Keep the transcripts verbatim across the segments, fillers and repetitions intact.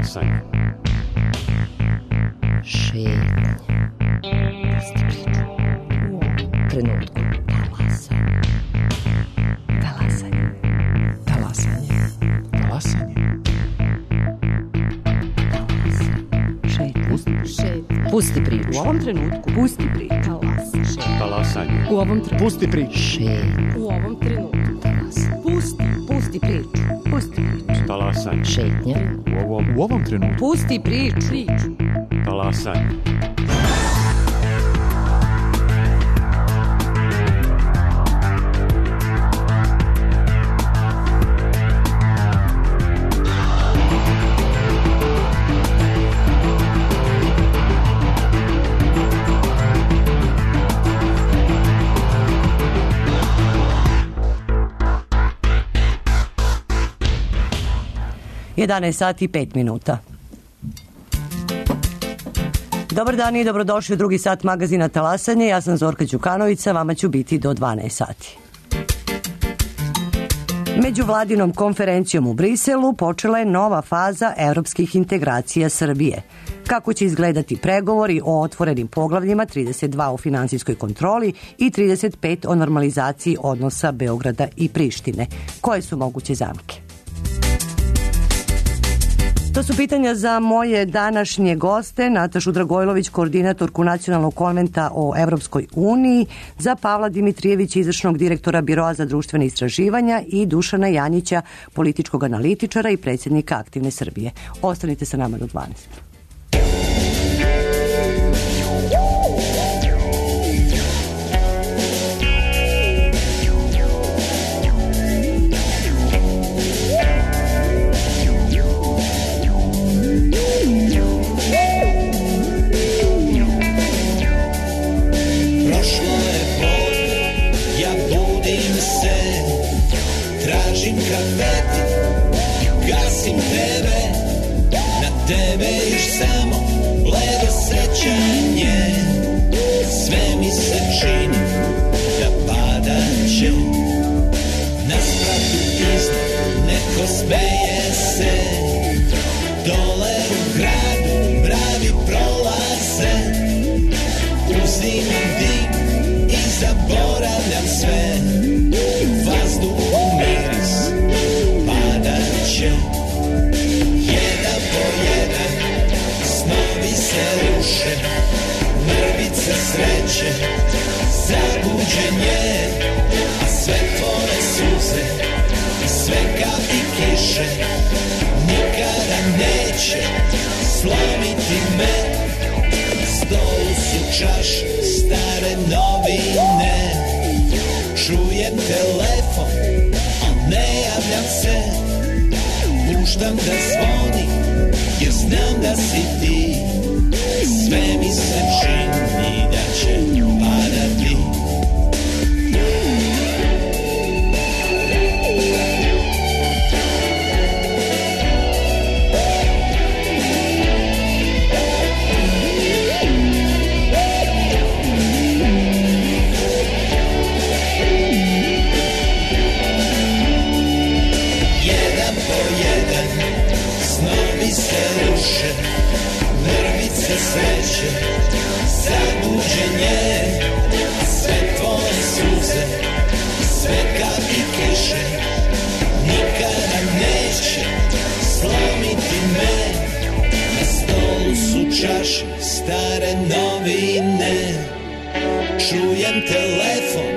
Talasanje. Šetnja. Pusti priču. U trenutku. Talasanje. Talasanje. Talasanje. Šetnja. Pusti priču. U ovom trenutku. Pusti priču. Talasanje. Talasanje. U ovom trenutku. Pusti priču. Šetnja. U ovom trenutku. Talasanje. Pusti. Pusti priču. Pusti priču. Talasanje. Šetnja. U ovom, u ovom trenutku. Pusti priču. Priču. Talasanje. jedanaest sati i pet minuta. Dobar dan i dobrodošli u drugi sat magazina Talasanje. Ja sam Zorka Đukanović, vama ću biti do dvanaest sati. Međuvladinom konferencijom u Briselu počela je nova faza evropskih integracija Srbije. Kako će izgledati pregovori o otvorenim poglavljima trideset dva o finansijskoj kontroli i trideset pet o normalizaciji odnosa Beograda i Prištine? Koje su moguće zamke? To su pitanja za moje današnje goste, Natašu Dragojlović, koordinatorku Nacionalnog konventa o Evropskoj uniji, za Pavla Dimitrijevića, izvršnog direktora Biroa za društvene istraživanja, i Dušana Janjića, političkog analitičara i predsjednika Aktivne Srbije. Ostanite sa nama do dvanaest. Gasim tebe, na tebe još samo bledo sećanje. Sve mi se čini da padat će. Na spratu iznad neko smeje se. Dole u gradu mravi prolaze. Uzimam dim i zaboravljam sve. Vazduhu miris padat će. Jedan po jedan snovi se ruše. Mrvice sreće, zabuđenje. A sve tvoje suze, sve kapi kiše nikada neće slomiti me. Stolu su čaše, stare novine. Čujem telefon, a ne javljam se. Puštam da zvoni, jer znam da si ti. Sve mi se čini da će padati. Mrvice sreće, zabuđenje. Sve tvoje suze, sve kapi kiše nikada neće slomiti me. Na stolu su čaše, stare novine. Čujem telefon,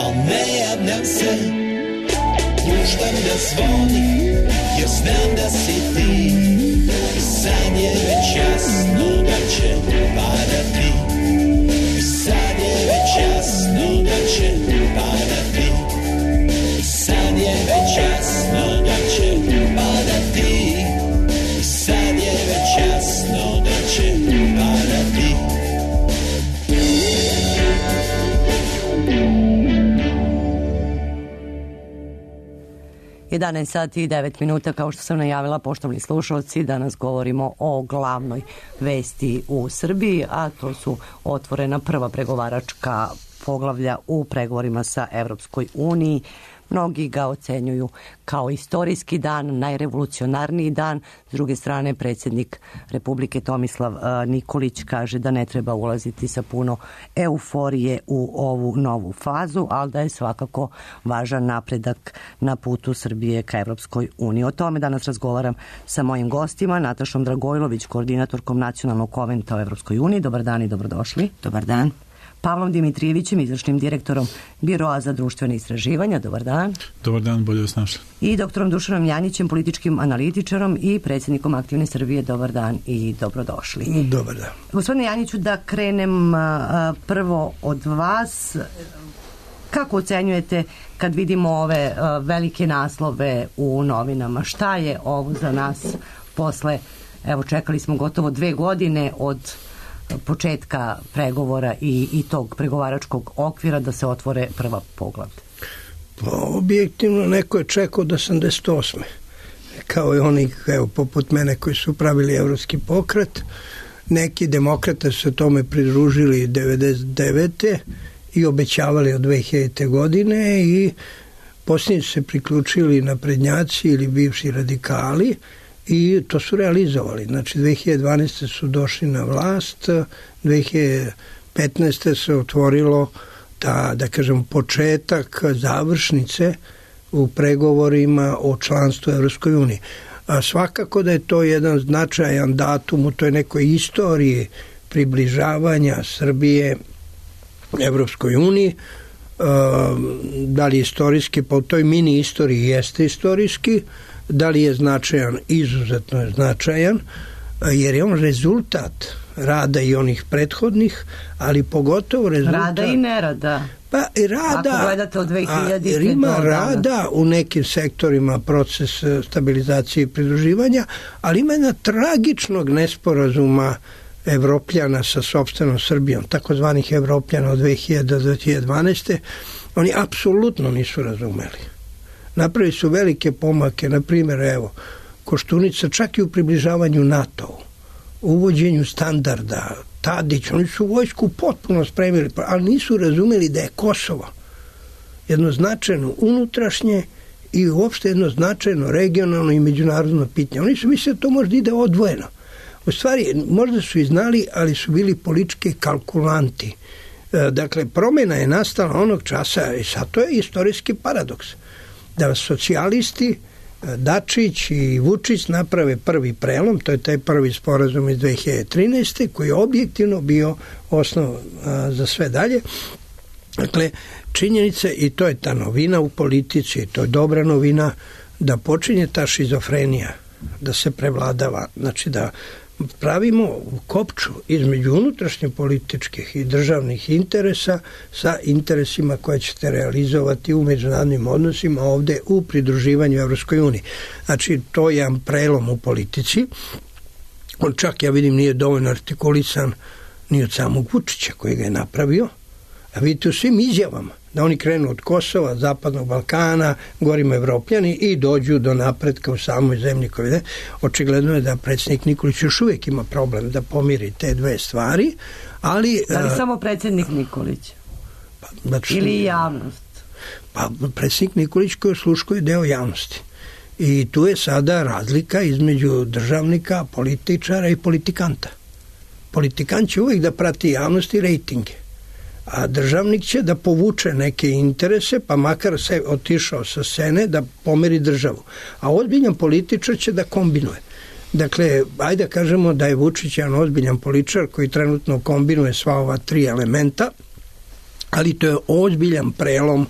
al ne javljam se. Puštam da zvoni, jer znam da si ti. Sad je već jasno da će padati. Sad je već jasno da će padati. Sad je već jasno da će padati. Sad je već jasno da će padati. jedanaest sati i devet minuta, kao što sam najavila, poštovani slušalci, danas govorimo o glavnoj vesti u Srbiji, a to su otvorena prva pregovaračka poglavlja u pregovorima sa Evropskoj uniji. Mnogi ga ocenjuju kao istorijski dan, najrevolucionarniji dan. S druge strane, predsjednik Republike Tomislav Nikolić kaže da ne treba ulaziti sa puno euforije u ovu novu fazu, ali da je svakako važan napredak na putu Srbije ka Evropskoj uniji. O tome danas razgovaram sa mojim gostima, Natašom Dragojlović, koordinatorkom Nacionalnog konventa o Evropskoj uniji. Dobar dan i dobrodošli. Dobar dan. Pavlom Dimitrijevićem, izvršnim direktorom Biroa za društvene istraživanja. Dobar dan. Dobar dan, bolje vas našli. I doktorom Dušanom Janjićem, političkim analitičarom i predsjednikom Aktivne Srbije. Dobar dan i dobrodošli. Dobar dan. Gospodine Janjiću, da krenem a, prvo od vas. Kako ocenjujete kad vidimo ove a, velike naslove u novinama? Šta je ovo za nas posle, evo čekali smo gotovo dve godine od početka pregovora i, i tog pregovaračkog okvira da se otvore prva poglavlja? Pa, objektivno neko je čekao do osamdeset osme kao i oni, evo, poput mene koji su pravili evropski pokret. Neki demokrate su tome pridružili devedeset devete i obećavali od dve hiljadite godine i posljednji su se priključili naprednjaci ili bivši radikali i to su realizovali. Znači, dve hiljade dvanaeste su došli na vlast, dve hiljade petnaeste se otvorilo ta, da kažem, početak završnice u pregovorima o članstvu Evropskoj uniji. A svakako da je to jedan značajan datum u toj nekoj istoriji približavanja Srbije Evropskoj uniji. Da li je istorijski, pa u toj mini istoriji jeste istorijski, da li je značajan, izuzetno je značajan, jer je on rezultat rada i onih prethodnih, ali pogotovo rezultat... Rada i nerada. Pa i rada... Ako gledate od dve hiljadite jer ima do rada u nekim sektorima proces stabilizacije i pridruživanja, ali ima jedna tragičnog nesporazuma Evropljana sa sopstvenom Srbijom, takozvanih Evropljana od dve hiljade do dve hiljade dvanaeste. Oni apsolutno nisu razumeli. Napravili su velike pomake, na primjer, evo, Koštunica čak i u približavanju NATO-u, uvođenju standarda, Tadić, oni su vojsku potpuno spremili, ali nisu razumeli da je Kosovo jedno značajno unutrašnje i uopšte jedno značajno regionalno i međunarodno pitanje. Oni su mislili da to možda ide odvojeno. U stvari, možda su i znali, ali su bili politički kalkulanti. Dakle, promjena je nastala onog časa i sad to je istorijski paradoks. Da socijalisti, Dačić i Vučić naprave prvi prelom, to je taj prvi sporazum iz dve hiljade trinaeste koji je objektivno bio osnov a, za sve dalje. Dakle, činjenica, i to je ta novina u politici, to je dobra novina, da počinje ta šizofrenija, da se prevladava, znači da pravimo kopču između unutrašnje političkih i državnih interesa sa interesima koje ćete realizovati u međunarodnim odnosima ovde u pridruživanju Evropskoj uniji. Znači, to je jedan prelom u politici. On čak, ja vidim, nije dovoljno artikulisan ni od samog Vučića koji ga je napravio. A vidite u svim izjavama da oni krenu od Kosova, Zapadnog Balkana, govorimo Evropljani i dođu do napretka u samoj zemlji koju ide. Očigledno je da predsjednik Nikolić još uvijek ima problem da pomiri te dve stvari, ali... Da li samo predsjednik Nikolić? Pa, znači, ili javnost? Pa predsjednik Nikolić koji osluškuje deo javnosti. I tu je sada razlika između državnika, političara i politikanta. Politikant će uvijek da prati javnost i rejtinge. A državnik će da povuče neke interese, pa makar se otišao sa scene da pomeri državu. A ozbiljan političar će da kombinuje. Dakle, ajde da kažemo da je Vučić jedan ozbiljan političar koji trenutno kombinuje sva ova tri elementa, ali to je ozbiljan prelom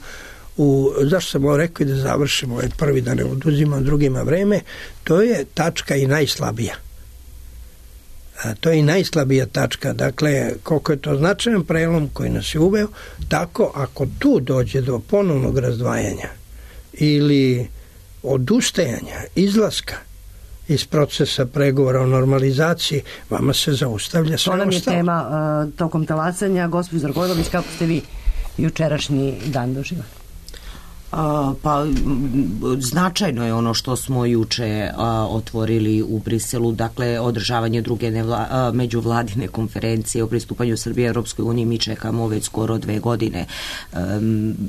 u, zašto sam ovo rekao da završimo ovaj prvi, da ne oduzimam drugima vreme, to je tačka i najslabija. A to je i najslabija tačka. Dakle, koliko je to značajan prelom koji nas je uveo, tako ako tu dođe do ponovnog razdvajanja ili odustajanja, izlaska iz procesa pregovora o normalizaciji, vama se zaustavlja sve ostalo. To nam je tema uh, tokom talasanja. Gospođo Dragojlović, kako ste vi jučerašnji dan doživali? A, pa značajno je ono što smo juče a, otvorili u Briselu, dakle održavanje druge nevla, a, međuvladine konferencije o pristupanju Srbije Europskoj uniji. Mi čekamo već skoro dve godine a,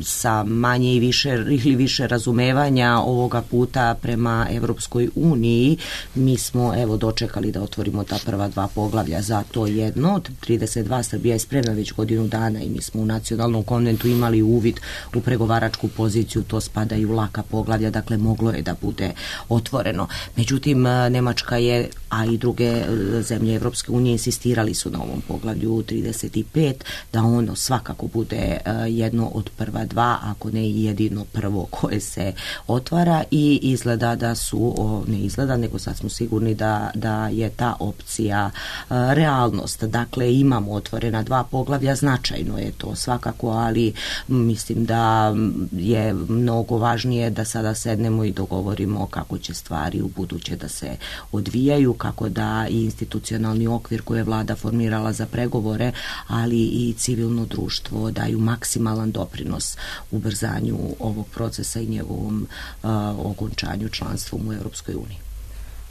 sa manje i više ili više razumevanja ovoga puta prema Europskoj uniji. Mi smo evo dočekali da otvorimo ta prva dva poglavlja za to jedno od trideset dva. Srbija je spremna već godinu dana i mi smo u nacionalnom konventu imali uvid u pregovaračku poziciju, to spada i u laka poglavlja, dakle moglo je da bude otvoreno. Međutim, Nemačka je, a i druge zemlje Evropske unije insistirali su na ovom poglavlju trideset pet, da ono svakako bude jedno od prva dva, ako ne i jedino prvo koje se otvara, i izgleda da su, ne izgleda, nego sad smo sigurni da, da je ta opcija realnost. Dakle, imamo otvorena dva poglavlja, značajno je to svakako, ali mislim da je mnogo važnije da sada sednemo i dogovorimo kako će stvari u buduće da se odvijaju, kako da i institucionalni okvir koje je vlada formirala za pregovore, ali i civilno društvo daju maksimalan doprinos ubrzanju ovog procesa i njegovom uh, okončanju članstvom u Europskoj uniji.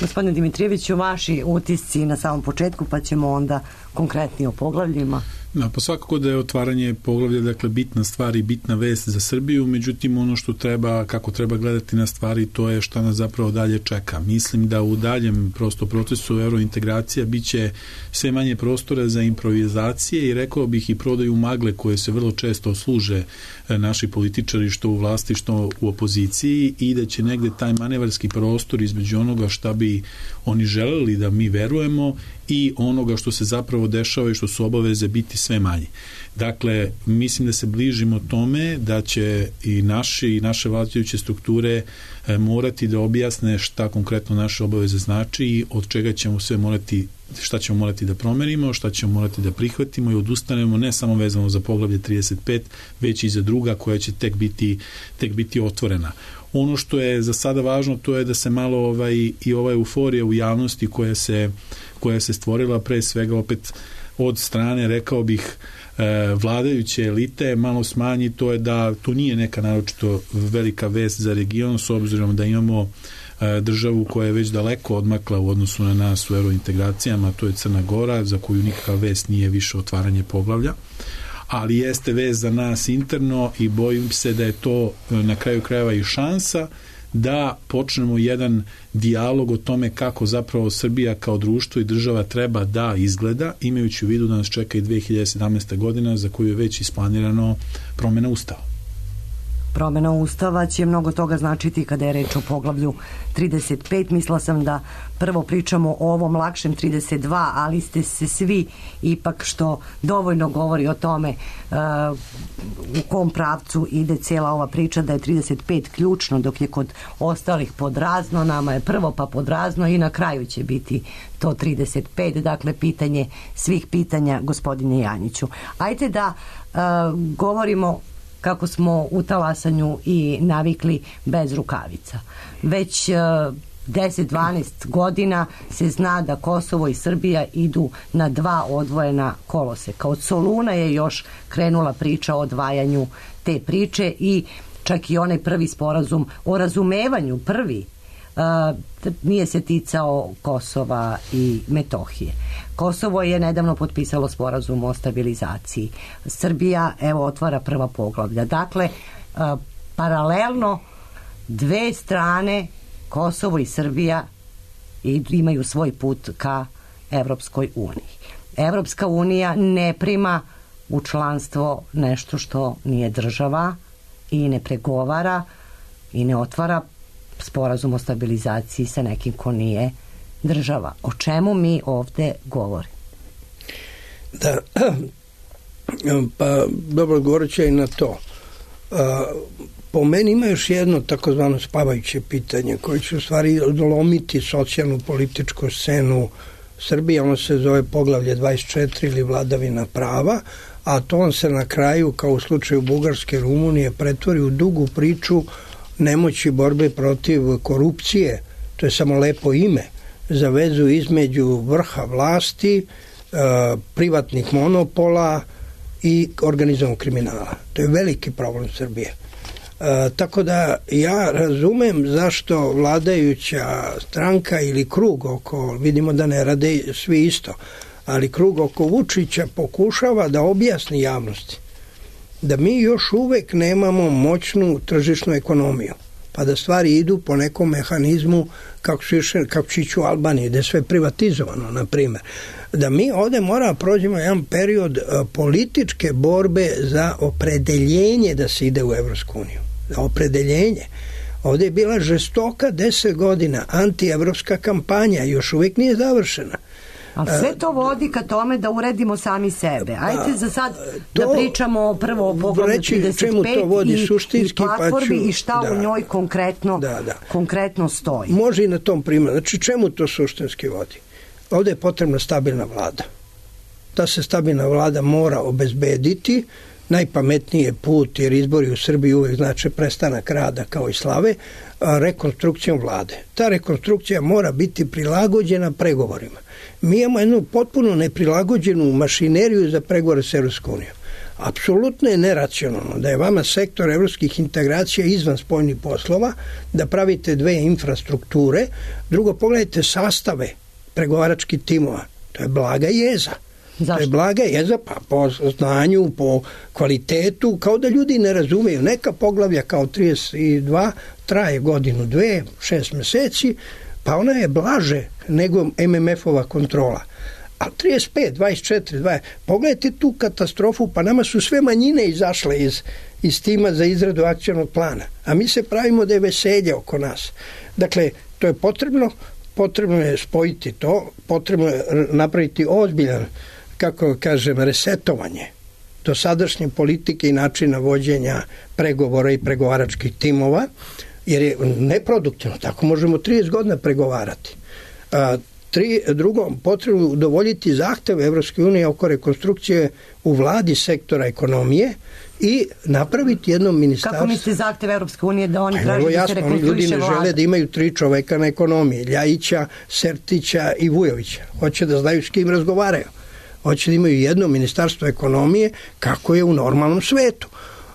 Gospodine Dimitrijeviću, vaši utisci na samom početku, pa ćemo onda konkretnije o poglavljima. Da, pa svakako da je otvaranje poglavlja, dakle, bitna stvar i bitna vest za Srbiju, međutim ono što treba, kako treba gledati na stvari, to je šta nas zapravo dalje čeka. Mislim da u daljem prosto procesu eurointegracija biće sve manje prostora za improvizacije i rekao bih i prodaju magle koje se vrlo često služe naši političari, što u vlasti, što u opoziciji, i da će negde taj manevarski prostor između onoga šta bi oni želeli da mi verujemo i onoga što se zapravo dešava i što su obaveze biti sve manje. Dakle, mislim da se bližimo tome da će i naši i naše vladajuće strukture e, morati da objasne šta konkretno naše obaveze znači i od čega ćemo sve morati, šta ćemo morati da promenimo, šta ćemo morati da prihvatimo i odustanemo, ne samo vezano za poglavlje trideset pet, već i za druga koja će tek biti, tek biti otvorena. Ono što je za sada važno, to je da se malo ovaj, i ova euforija u javnosti koja se, koja se stvorila pre svega opet od strane, rekao bih, vladajuće elite malo smanji. To je da to nije neka naročito velika vest za region, s obzirom da imamo državu koja je već daleko odmakla u odnosu na nas u eurointegracijama, to je Crna Gora, za koju nikakva vest nije više otvaranje poglavlja, ali jeste vest za nas interno i bojim se da je to na kraju krajeva i šansa da počnemo jedan dijalog o tome kako zapravo Srbija kao društvo i država treba da izgleda, imajući u vidu da nas čeka i dve hiljade sedamnaesta godina za koju je već isplanirano promjena Ustava. Promjena Ustava će mnogo toga značiti kada je reč o poglavlju trideset pet. Mislila sam da prvo pričamo o ovom lakšem trideset dva, ali ste se svi ipak, što dovoljno govori o tome uh, u kom pravcu ide cijela ova priča, da je trideset pet ključno, dok je kod ostalih podrazno. Nama je prvo pa podrazno i na kraju će biti to trideset pet. Dakle, pitanje svih pitanja, gospodine Janjiću. Ajde da uh, govorimo kako smo u talasanju i navikli bez rukavica. Već deset dvanaest godina se zna da Kosovo i Srbija idu na dva odvojena koloseka. Od Soluna je još krenula priča o odvajanju te priče i čak i onaj prvi sporazum o razumevanju, prvi, Uh, nije se ticao Kosova i Metohije. Kosovo je nedavno potpisalo sporazum o stabilizaciji. Srbija, evo, otvara prva poglavlja. Dakle, uh, paralelno dve strane, Kosovo i Srbija, imaju svoj put ka Evropskoj uniji. Evropska unija ne prima u članstvo nešto što nije država i ne pregovara i ne otvara sporazum o stabilizaciji sa nekim ko nije država. O čemu mi ovde govorimo? Da, pa dobro, govorit ću i na to. Po meni ima još jedno takozvano spavajuće pitanje koje će u stvari odlomiti socijalnu političku scenu Srbije. Ono se zove poglavlje dvadeset četiri ili vladavina prava, a to on se na kraju, kao u slučaju Bugarske i Rumunije, pretvori u dugu priču nemoći borbe protiv korupcije. To je samo lepo ime za vezu između vrha vlasti, privatnih monopola i organizovanog kriminala. To je veliki problem Srbije. E, tako da ja razumem zašto vladajuća stranka ili krug oko, vidimo da ne rade svi isto, ali krug oko Vučića pokušava da objasni javnosti da mi još uvek nemamo moćnu tržišnu ekonomiju, pa da stvari idu po nekom mehanizmu kako su išli, kako će ići u Albaniji, da je sve privatizovano, na primjer. Da mi ovde moramo prođemo jedan period političke borbe za opredeljenje da se ide u Evropsku uniju. Za opredeljenje. Ovde je bila žestoka deset godina antievropska kampanja, još uvijek nije završena. Ali sve to vodi ka tome da uredimo sami sebe. Ajde za sad to, da pričamo prvo o poglavlju trideset pet vodi, i, i platformi pa ću, i šta da, u njoj konkretno, da, da. konkretno stoji. Može i na tom primjeru. Znači, čemu to suštinski vodi? Ovde je potrebna stabilna vlada. Ta se stabilna vlada mora obezbediti. Najpametniji je put, jer izbori u Srbiji uvek znači prestanak rada kao i slave, rekonstrukcijom vlade. Ta rekonstrukcija mora biti prilagođena pregovorima. Mi imamo jednu potpuno neprilagođenu mašineriju za pregovore s Evropskom unijom. Apsolutno je neracionalno da je vama sektor evropskih integracija izvan spoljnih poslova, da pravite dve infrastrukture. Drugo, pogledajte sastave pregovaračkih timova. To je blaga jeza. Zašto? To je blaga jeza, pa po znanju, po kvalitetu, kao da ljudi ne razumeju. Neka poglavlja kao trideset dva traje godinu, dve, šest meseci, pa ona je blaže nego M M F-ova kontrola. A trideset pet, dvadeset četiri, dvadeset pogledajte tu katastrofu, pa nama su sve manjine izašle iz, iz tima za izradu akcionog plana. A mi se pravimo da je veselje oko nas. Dakle, to je potrebno, potrebno je spojiti to, potrebno je napraviti ozbiljan, kako kažem, resetovanje do sadašnje politike i načina vođenja pregovora i pregovaračkih timova, jer je neproduktivno. Tako možemo trideset godina pregovarati. A, tri, drugo, potrebno udovoljiti zahteve Evropske unije oko rekonstrukcije u vladi sektora ekonomije i napraviti jedno ministarstvo. Kako mislite zahteve Evropske unije da oni traže da se rekonstruiše vlada? Ljudi ne vlada? žele da imaju tri čoveka na ekonomiji, Ljajića, Sertića i Vujovića. Hoće da znaju s kim razgovaraju. Hoće da imaju jedno ministarstvo ekonomije kako je u normalnom svetu.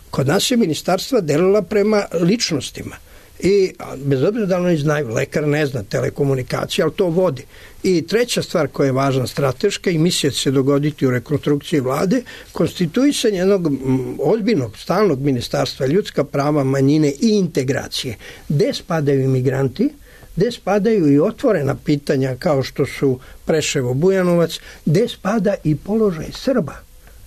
Kod nas je ministarstva delila prema ličnostima. I bez obzira da oni znaju, lekar ne zna telekomunikacije, ali to vodi. I treća stvar koja je važna strateška i misli se dogoditi u rekonstrukciji vlade, konstituisanje jednog ozbiljnog, stalnog ministarstva ljudska prava, manjine i integracije. Gde spadaju imigranti, gde spadaju i otvorena pitanja kao što su Preševo, Bujanovac, gde spada i položaj Srba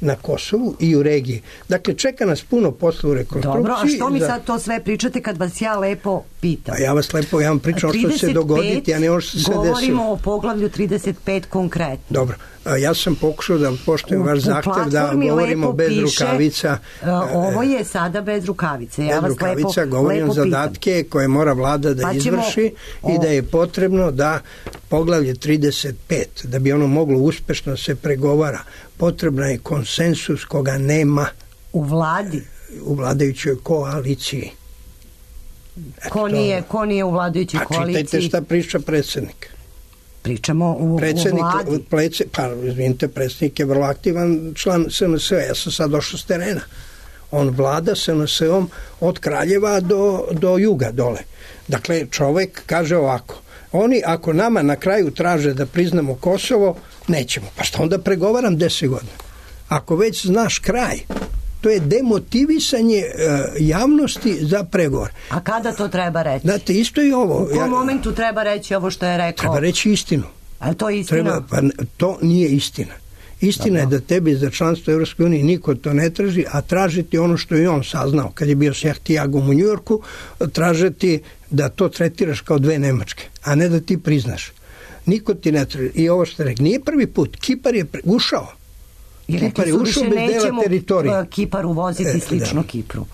na Kosovu i u regiji. Dakle, čeka nas puno posla u rekonstrukciji. Dobro, a što mi sad to sve pričate kad vas ja lepo pitam? A ja vas lepo, ja vam pričam što će se dogoditi, a ne ovo što se desilo. Govorimo o poglavlju trideset pet konkretno. Dobro, a ja sam pokušao da poštujem vaš zahtev da govorimo bez piše, rukavica. Ovo je sada bez rukavice. Ja bez vas rukavica, lepo, govorim lepo zadatke koje mora vlada da pa izvrši o... i da je potrebno da poglavlje trideset pet, da bi ono moglo uspešno se pregovara, potrebna je konsensus koga nema u vladi, u vladajućoj koaliciji. Ko nije, ko nije u vladajućoj pa, koaliciji? Pa čitajte šta priča predsjednik. Pričamo u, predsjednik, u vladi. Plece, pa, izvinite, predsjednik je vrlo aktivan član S N S-a. Ja sam sad došao s terena. On vlada S N S-om od Kraljeva do, do juga dole. Dakle, čovek kaže ovako, oni ako nama na kraju traže da priznamo Kosovo, nećemo. Pa što onda pregovaram deset godina? Ako već znaš kraj, to je demotivisanje uh, javnosti za pregovor. A kada to treba reći? Znate, isto i ovo. U kom ja, momentu treba reći ovo što je rekao? Treba reći istinu. A to je istina? Treba, pa, to nije istina. Istina Dobro. je da tebi za članstvo Evropske unije niko to ne traži, a tražiti ono što je on saznao kad je bio s Jahtijagom u Njujorku, tražiti da to tretiraš kao dve Nemačke, a ne da ti priznaš. Niko ti ne traži. I ovo što rekao, nije prvi put. Kipar je pre, ušao. I Kipar je ušao bez dela teritorije. Kipar uvoziti slično da. Kipru.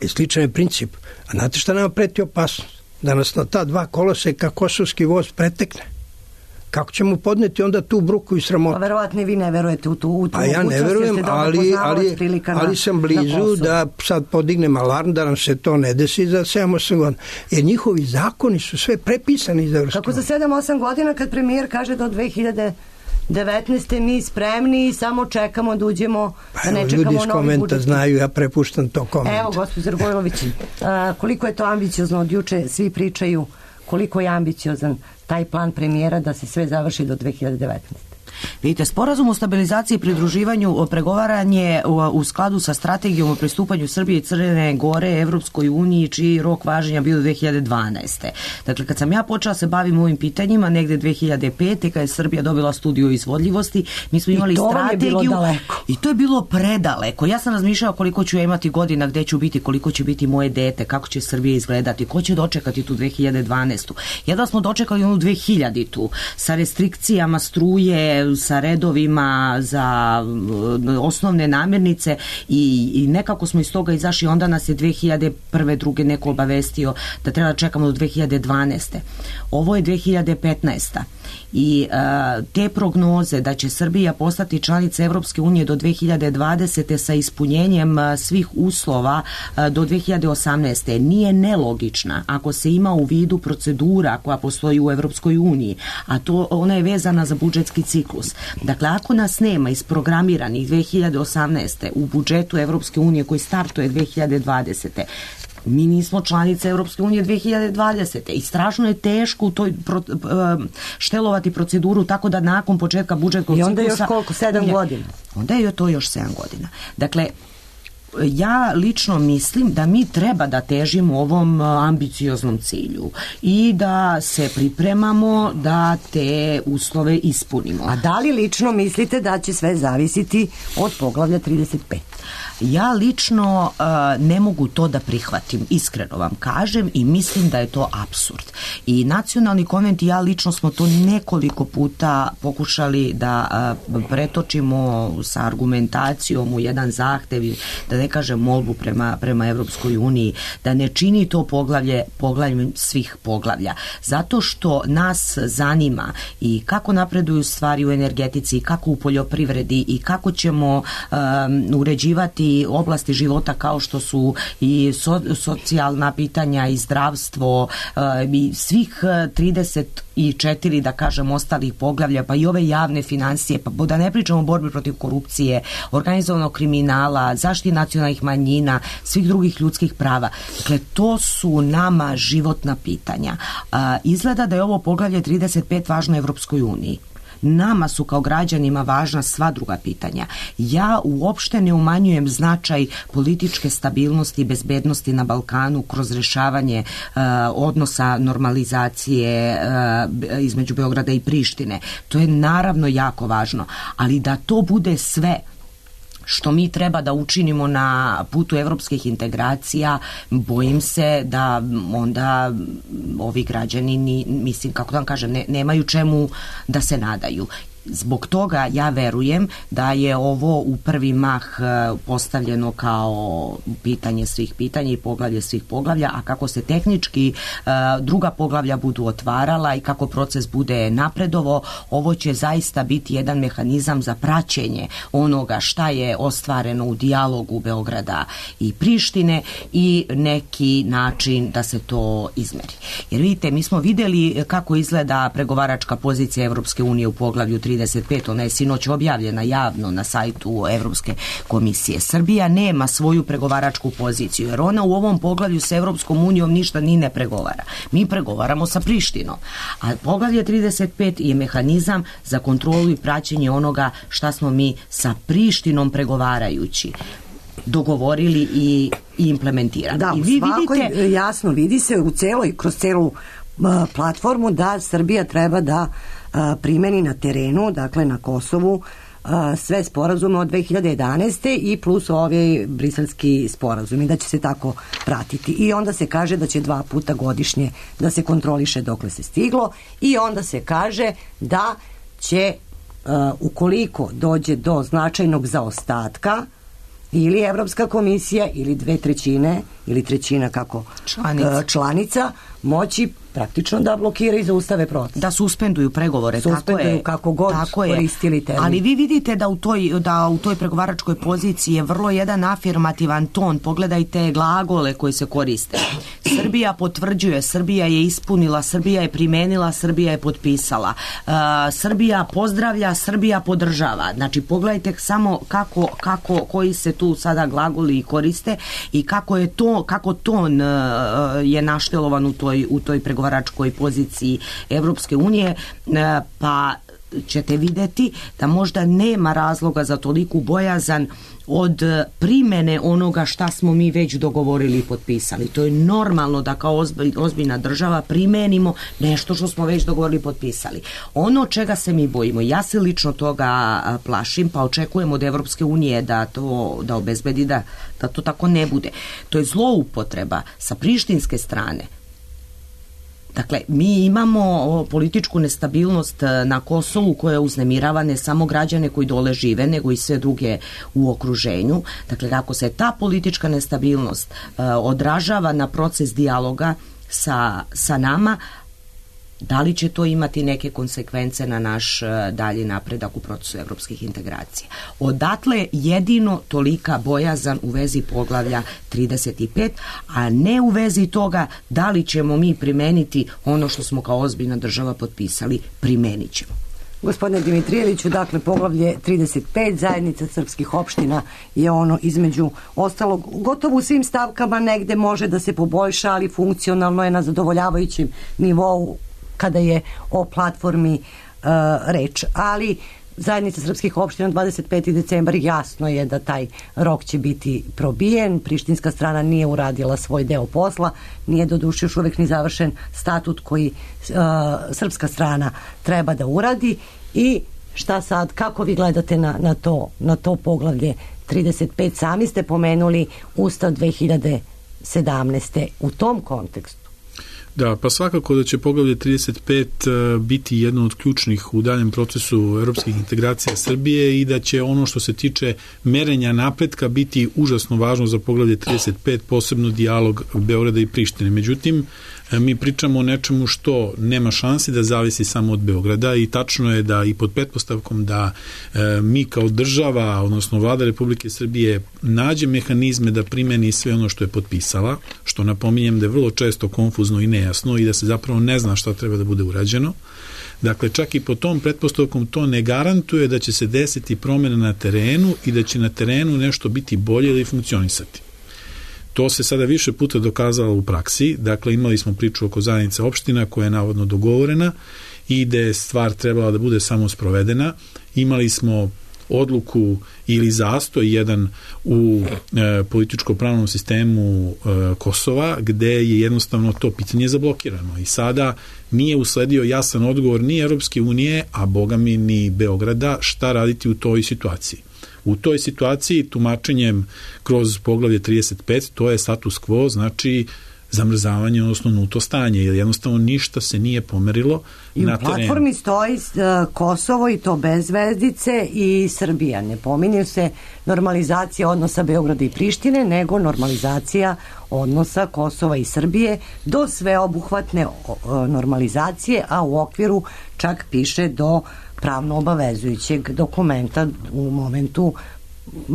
E, sličan je princip. A znate šta nama preti opasnost? Da nas na ta dva koloseka kosovski voz pretekne. Kako ćemo podneti onda tu bruku i sramotu? Pa verovatno vi ne verujete u tu, u tu pa ja ne verujem, ali, ali, ali sam blizu da sad podignem alarm da nam se to ne desi za sedam osam godina. Jer njihovi zakoni su sve prepisani iz Evropske unije. Kako za sedam osam godina kad premijer kaže do dve hiljade devetnaeste mi spremni i samo čekamo da uđemo, da ne Evo, čekamo ljudi iz novi komenta budžet. znaju, ja prepuštam to komentu. Evo, gospođo Rgojlović, koliko je to ambiciozno od juče, svi pričaju koliko je ambiciozan taj plan premijera da se sve završi do dve hiljade devetnaeste. Vidite, sporazum o stabilizaciji i pridruživanju pregovaran je u skladu sa strategijom o pristupanju Srbije i Crne Gore Evropskoj uniji, čiji rok važenja bio do dve hiljade dvanaeste. Dakle, kad sam ja počela se bavim ovim pitanjima, negde dve hiljade pete, kad je Srbija dobila studiju izvodljivosti, mi smo imali strategiju. I to vam je bilo daleko. I to je bilo predaleko. Ja sam razmišljala koliko ću ja imati godina, gde ću biti, koliko će biti moje dete, kako će Srbija izgledati, ko će dočekati tu dve hiljade dvanaestu. Jedva smo dočekali onu dve hiljaditu sa restrikcijama struje, sa redovima za osnovne namirnice i, i nekako smo iz toga izašli. Onda nas je dve hiljade prve. druge neko obavestio da treba da čekamo do dve hiljade dvanaeste. Ovo je dve hiljade petnaesta. I a, te prognoze da će Srbija postati članica Evropske unije do dve hiljade dvadesete sa ispunjenjem a, svih uslova a, do dve hiljade osamnaeste. nije nelogična ako se ima u vidu procedura koja postoji u Evropskoj uniji, a to ona je vezana za budžetski ciklus. Dakle, ako nas nema isprogramiranih dve hiljade osamnaeste. u budžetu Evropske unije koji startuje dve hiljade dvadesete. mi nismo članice Evropske unije dve hiljade dvadesete. i strašno je teško u toj pro, štelovati proceduru tako da nakon početka budžetskog ciklusa... I onda je još koliko, sedam godina? Onda je to još sedam godina. Dakle, ja lično mislim da mi treba da težimo ovom ambicioznom cilju i da se pripremamo da te uslove ispunimo. A da li lično mislite da će sve zavisiti od poglavlja trideset pet? Ja lično uh, ne mogu to da prihvatim, iskreno vam kažem, i mislim da je to apsurd. I nacionalni konvent i ja lično smo to nekoliko puta pokušali da uh, pretočimo sa argumentacijom u jedan zahtev i da ne kažem molbu prema, prema Evropskoj uniji, da ne čini to poglavlje poglavljem svih poglavlja. Zato što nas zanima i kako napreduju stvari u energetici, kako u poljoprivredi i kako ćemo um, uređivati oblasti života kao što su i so, socijalna pitanja i zdravstvo uh, i svih trideset četiri, da kažem, ostalih poglavlja, pa i ove javne financije, pa da ne pričamo o borbi protiv korupcije, organizovanog kriminala, zaštiti nacionalnih manjina, svih drugih ljudskih prava. Dakle, to su nama životna pitanja. Uh, izgleda da je ovo poglavlje trideset pet važno Evropskoj uniji. Nama su kao građanima važna sva druga pitanja. Ja uopšte ne umanjujem značaj političke stabilnosti i bezbednosti na Balkanu kroz rešavanje uh, odnosa normalizacije uh, između Beograda i Prištine. To je naravno jako važno, ali da to bude sve što mi treba da učinimo na putu evropskih integracija, bojim se da onda ovi građani, ni, mislim, kako da vam kažem, ne, nemaju čemu da se nadaju. Zbog toga ja verujem da je ovo u prvi mah postavljeno kao pitanje svih pitanja i poglavlje svih poglavlja, a kako se tehnički druga poglavlja budu otvarala i kako proces bude napredovo, ovo će zaista biti jedan mehanizam za praćenje onoga šta je ostvareno u dijalogu Beograda i Prištine i neki način da se to izmeri. Jer vidite, mi smo videli kako izgleda pregovaračka pozicija Evropske unije u poglavlju trideset pet, ona je sinoć objavljena javno na sajtu Evropske komisije. Srbija nema svoju pregovaračku poziciju, jer ona u ovom poglavlju sa Evropskom unijom ništa ni ne pregovara. Mi pregovaramo sa Prištinom. A poglavlje trideset pet je mehanizam za kontrolu i praćenje onoga šta smo mi sa Prištinom pregovarajući dogovorili i, i implementirali. Da, I u vi svakoj vidite... jasno vidi se u celoj, kroz celu uh, platformu da Srbija treba da primeni na terenu, dakle na Kosovu, sve sporazume od dve hiljade jedanaeste i plus ovaj briselski sporazum i da će se tako pratiti. I onda se kaže da će dva puta godišnje da se kontroliše dokle se stiglo i onda se kaže da će ukoliko dođe do značajnog zaostatka ili Evropska komisija ili dve trećine ili trećina kako članica, članica moći praktično da blokiraju i zaustave proces. Da suspenduju pregovore, suspenduju tako je. kako god tako koristili termin. Ali vi vidite da u toj da u toj pregovaračkoj poziciji je vrlo jedan afirmativan ton. Pogledajte glagole koji se koriste. Srbija potvrđuje, Srbija je ispunila, Srbija je primenila, Srbija je potpisala. Uh, Srbija pozdravlja, Srbija podržava. Znači pogledajte samo kako, kako koji se tu sada glagoli koriste i kako je to kako ton uh, je naštelovan u toj u toj pregovaračkoj poziciji Evropske unije, uh, pa ćete vidjeti da možda nema razloga za toliku bojazan od primene onoga šta smo mi već dogovorili i potpisali. To je normalno da kao ozbiljna država primenimo nešto što smo već dogovorili i potpisali. Ono čega se mi bojimo, ja se lično toga plašim, pa očekujem od Evropske unije da to da obezbedi da, da to tako ne bude. To je zloupotreba sa prištinske strane. Dakle, mi imamo političku nestabilnost na Kosovu koja uznemirava ne samo građane koji dole žive, nego i sve druge u okruženju. Dakle, kako se ta politička nestabilnost uh, odražava na proces dijaloga sa, sa nama, da li će to imati neke konsekvence na naš dalji napredak u procesu evropskih integracija? Odatle jedino tolika bojazan u vezi poglavlja trideset pet, a ne u vezi toga da li ćemo mi primeniti ono što smo kao ozbiljna država potpisali, primenit ćemo. Gospodine Dimitrijeviću, dakle, poglavlje trideset pet, zajednica srpskih opština je ono između ostalog, gotovo u svim stavkama negde može da se poboljša, ali funkcionalno je na zadovoljavajućem nivou kada je o platformi uh, reč. Ali zajednica srpskih opština dvadeset peti decembar jasno je da taj rok će biti probijen. Prištinska strana nije uradila svoj deo posla, nije doduše još uvek ni završen statut koji uh, srpska strana treba da uradi. I šta sad, kako vi gledate na, na, to, na to poglavlje trideset pet? Sami ste pomenuli Ustav dve hiljade sedamnaeste u tom kontekstu. Da, pa svakako da će poglavlje trideset pet biti jedno od ključnih u daljem procesu evropskih integracija Srbije i da će ono što se tiče merenja napretka biti užasno važno za poglavlje trideset pet, posebno dijalog Beograda i Prištine. Međutim, mi pričamo o nečemu što nema šansi da zavisi samo od Beograda i tačno je da i pod pretpostavkom da e, mi kao država, odnosno vlada Republike Srbije nađe mehanizme da primeni sve ono što je potpisala, što napominjem da je vrlo često konfuzno i nejasno i da se zapravo ne zna šta treba da bude urađeno. Dakle, čak i po tom pretpostavkom to ne garantuje da će se desiti promjena na terenu i da će na terenu nešto biti bolje ili funkcionisati. To se sada više puta dokazalo u praksi. Dakle, imali smo priču oko zajednice opština koja je navodno dogovorena i da je stvar trebala da bude samo sprovedena. Imali smo odluku ili zastoj jedan u e, političko-pravnom sistemu e, Kosova, gde je jednostavno to pitanje zablokirano. I sada nije usledio jasan odgovor ni Evropske unije, a bogami ni Beograda, šta raditi u toj situaciji. U toj situaciji tumačenjem kroz poglavlje trideset pet to je status quo, znači zamrzavanje, odnosno nuto stanje, jer jednostavno ništa se nije pomerilo I na terenu. I u platformi stoji uh, Kosovo i to bez zvezdice i Srbija. Ne pominje se normalizacija odnosa Beograda i Prištine, nego normalizacija odnosa Kosova i Srbije do sveobuhvatne uh, normalizacije, a u okviru čak piše do pravno obavezujućeg dokumenta u momentu uh,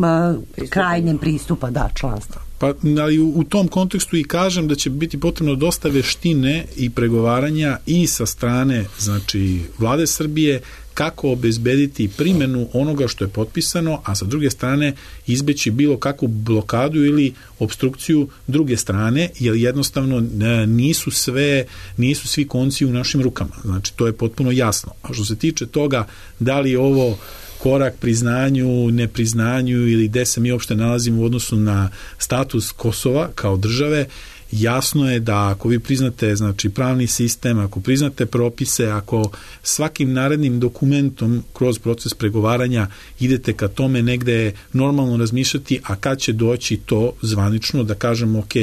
krajnjem pristupa da članstva. Pa, ali u, u tom kontekstu i kažem da će biti potrebno dosta veštine i pregovaranja i sa strane, znači, vlade Srbije, kako obezbediti primjenu onoga što je potpisano, a sa druge strane izbeći bilo kakvu blokadu ili obstrukciju druge strane, jer jednostavno nisu sve, nisu svi konci u našim rukama. Znači, to je potpuno jasno. A što se tiče toga, da li ovo korak priznanju, nepriznanju ili gde se mi uopšte nalazimo u odnosu na status Kosova kao države, jasno je da ako vi priznate, znači, pravni sistem, ako priznate propise, ako svakim narednim dokumentom kroz proces pregovaranja idete ka tome negde normalno razmišljati, a kad će doći to zvanično da kažemo ok,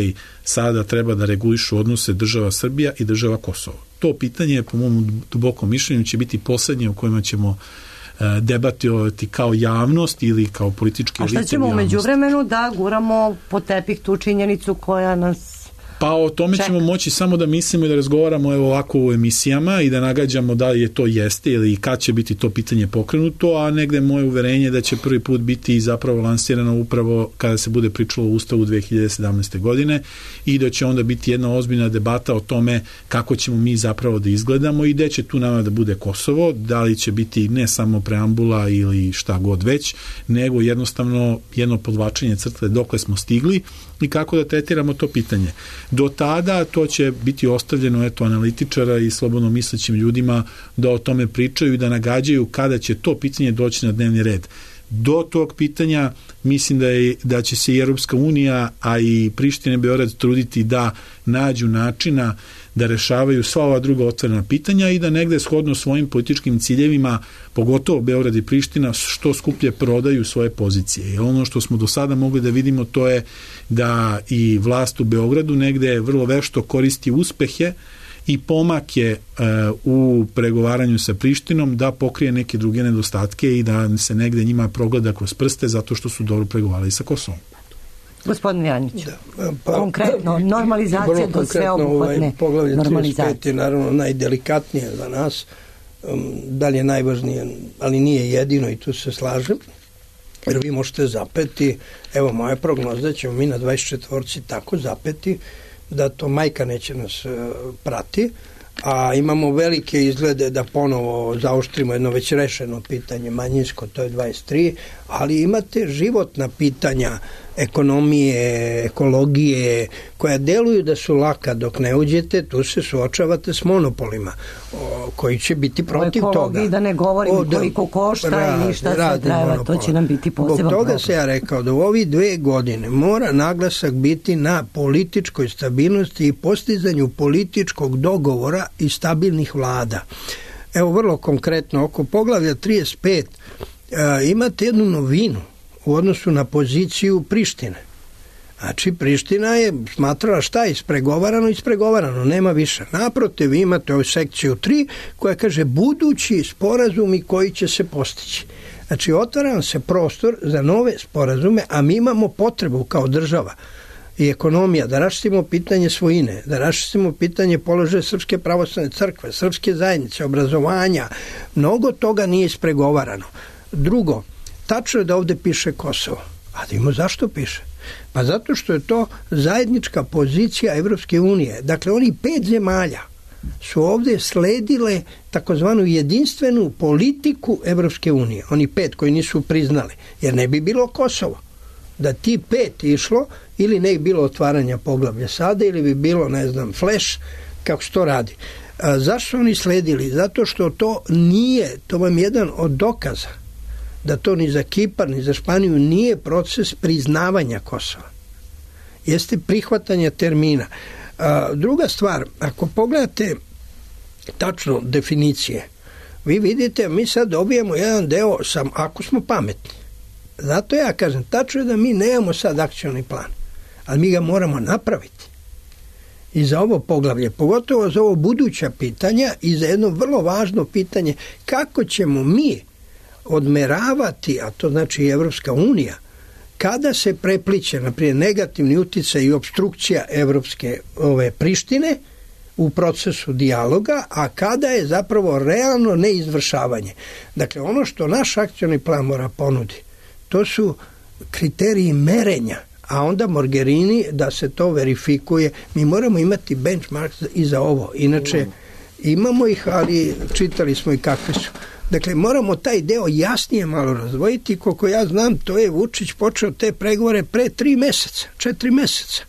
sada treba da regulišu odnose država Srbija i država Kosovo. To pitanje, po mom dubokom mišljenju, će biti poslednje u kojima ćemo debatovati kao javnost ili kao politički lice u javnosti. A šta ćemo u međuvremenu da guramo po tepih tu činjenicu koja nas Pa o tome Ček. ćemo moći samo da mislimo i da razgovaramo evo ovako u emisijama i da nagađamo da li je to jeste ili kad će biti to pitanje pokrenuto, a negde moje uverenje da će prvi put biti zapravo lansirano upravo kada se bude pričalo o Ustavu dve hiljade sedamnaeste. godine i da će onda biti jedna ozbiljna debata o tome kako ćemo mi zapravo da izgledamo i gde će tu nama da bude Kosovo, da li će biti ne samo preambula ili šta god već, nego jednostavno jedno podvlačenje crte dokle smo stigli i kako da tretiramo to pitanje. Do tada to će biti ostavljeno eto analitičara i slobodno mislećim ljudima da o tome pričaju i da nagađaju kada će to pitanje doći na dnevni red. Do tog pitanja mislim da, je, da će se i Europska unija, a i Priština i Beograd truditi da nađu načina da rešavaju sva ova druga otvorena pitanja i da negde shodno svojim političkim ciljevima, pogotovo Beograd i Priština, što skuplje prodaju svoje pozicije. Jer ono što smo do sada mogli da vidimo to je da i vlast u Beogradu negde vrlo vešto koristi uspehe i pomake e, u pregovaranju sa Prištinom da pokrije neke druge nedostatke i da se negde njima progleda kroz prste zato što su dobro pregovarali sa Kosovom. Gospodin Janić, da, pa, konkretno, normalizacija do sveobuhvatne ovaj, poglavlje normalizacije. trideset pet je naravno najdelikatnije za nas, um, da li je najvažnije, ali nije jedino i tu se slažem, jer vi možete zapeti, evo moja prognoza, ćemo mi na dvadeset četvorci tako zapeti da to majka neće nas uh, prati, a imamo velike izglede da ponovo zaoštrimo jedno već rešeno pitanje manjinsko, to je dvadeset tri, ali imate životna pitanja ekonomije, ekologije, koja deluju da su laka dok ne uđete, tu se suočavate s monopolima o, koji će biti protiv toga. O ekologiji da ne govorim o, da, koliko košta ra, i šta sve treba, to će nam biti poseban problem. Zbog toga se ja rekao da u ovi dve godine mora naglasak biti na političkoj stabilnosti i postizanju političkog dogovora i stabilnih vlada. Evo vrlo konkretno, oko poglavlja trideset pet a, imate jednu novinu u odnosu na poziciju Prištine. Znači, Priština je smatrala šta je ispregovarano, ispregovarano, nema više. Naprotiv, vi imate ovu sekciju tri koja kaže budući sporazumi koji će se postići. Znači, otvara nam se prostor za nove sporazume, a mi imamo potrebu kao država i ekonomija da raščistimo pitanje svojine, da raščistimo pitanje položaja Srpske pravoslavne crkve, srpske zajednice, obrazovanja. Mnogo toga nije ispregovarano. Drugo, tačno je da ovde piše Kosovo. A da ima zašto piše? Pa zato što je to zajednička pozicija Evropske unije. Dakle, oni pet zemalja su ovde sledile takozvanu jedinstvenu politiku Evropske unije. Oni pet koji nisu priznali. Jer ne bi bilo Kosovo. Da ti pet išlo, ili ne bi bilo otvaranja poglavlja sada, ili bi bilo, ne znam, flash, kako se to radi. A zašto oni sledili? Zato što to nije, to vam je jedan od dokaza da to ni za Kipar, ni za Španiju nije proces priznavanja Kosova. Jeste prihvatanje termina. A, druga stvar, ako pogledate tačno definicije, vi vidite, mi sad dobijemo jedan deo, sam, ako smo pametni. Zato ja kažem, tačno je da mi nemamo sad akcioni plan, ali mi ga moramo napraviti. I za ovo poglavlje, pogotovo za ovo buduća pitanja i za jedno vrlo važno pitanje, kako ćemo mi odmeravati, a to znači i Evropska unija, kada se prepliće, naprijed, negativni uticaj i obstrukcija Evropske ove Prištine u procesu dijaloga, a kada je zapravo realno neizvršavanje. Dakle, ono što naš akcioni plan mora ponudi, to su kriteriji merenja, a onda Mogherini da se to verifikuje. Mi moramo imati benchmark i za ovo. Inače, imamo ih, ali čitali smo i kakve su. Dakle, moramo taj deo jasnije malo razdvojiti. Koliko ja znam, to je Vučić počeo te pregovore pre tri meseca, četiri meseca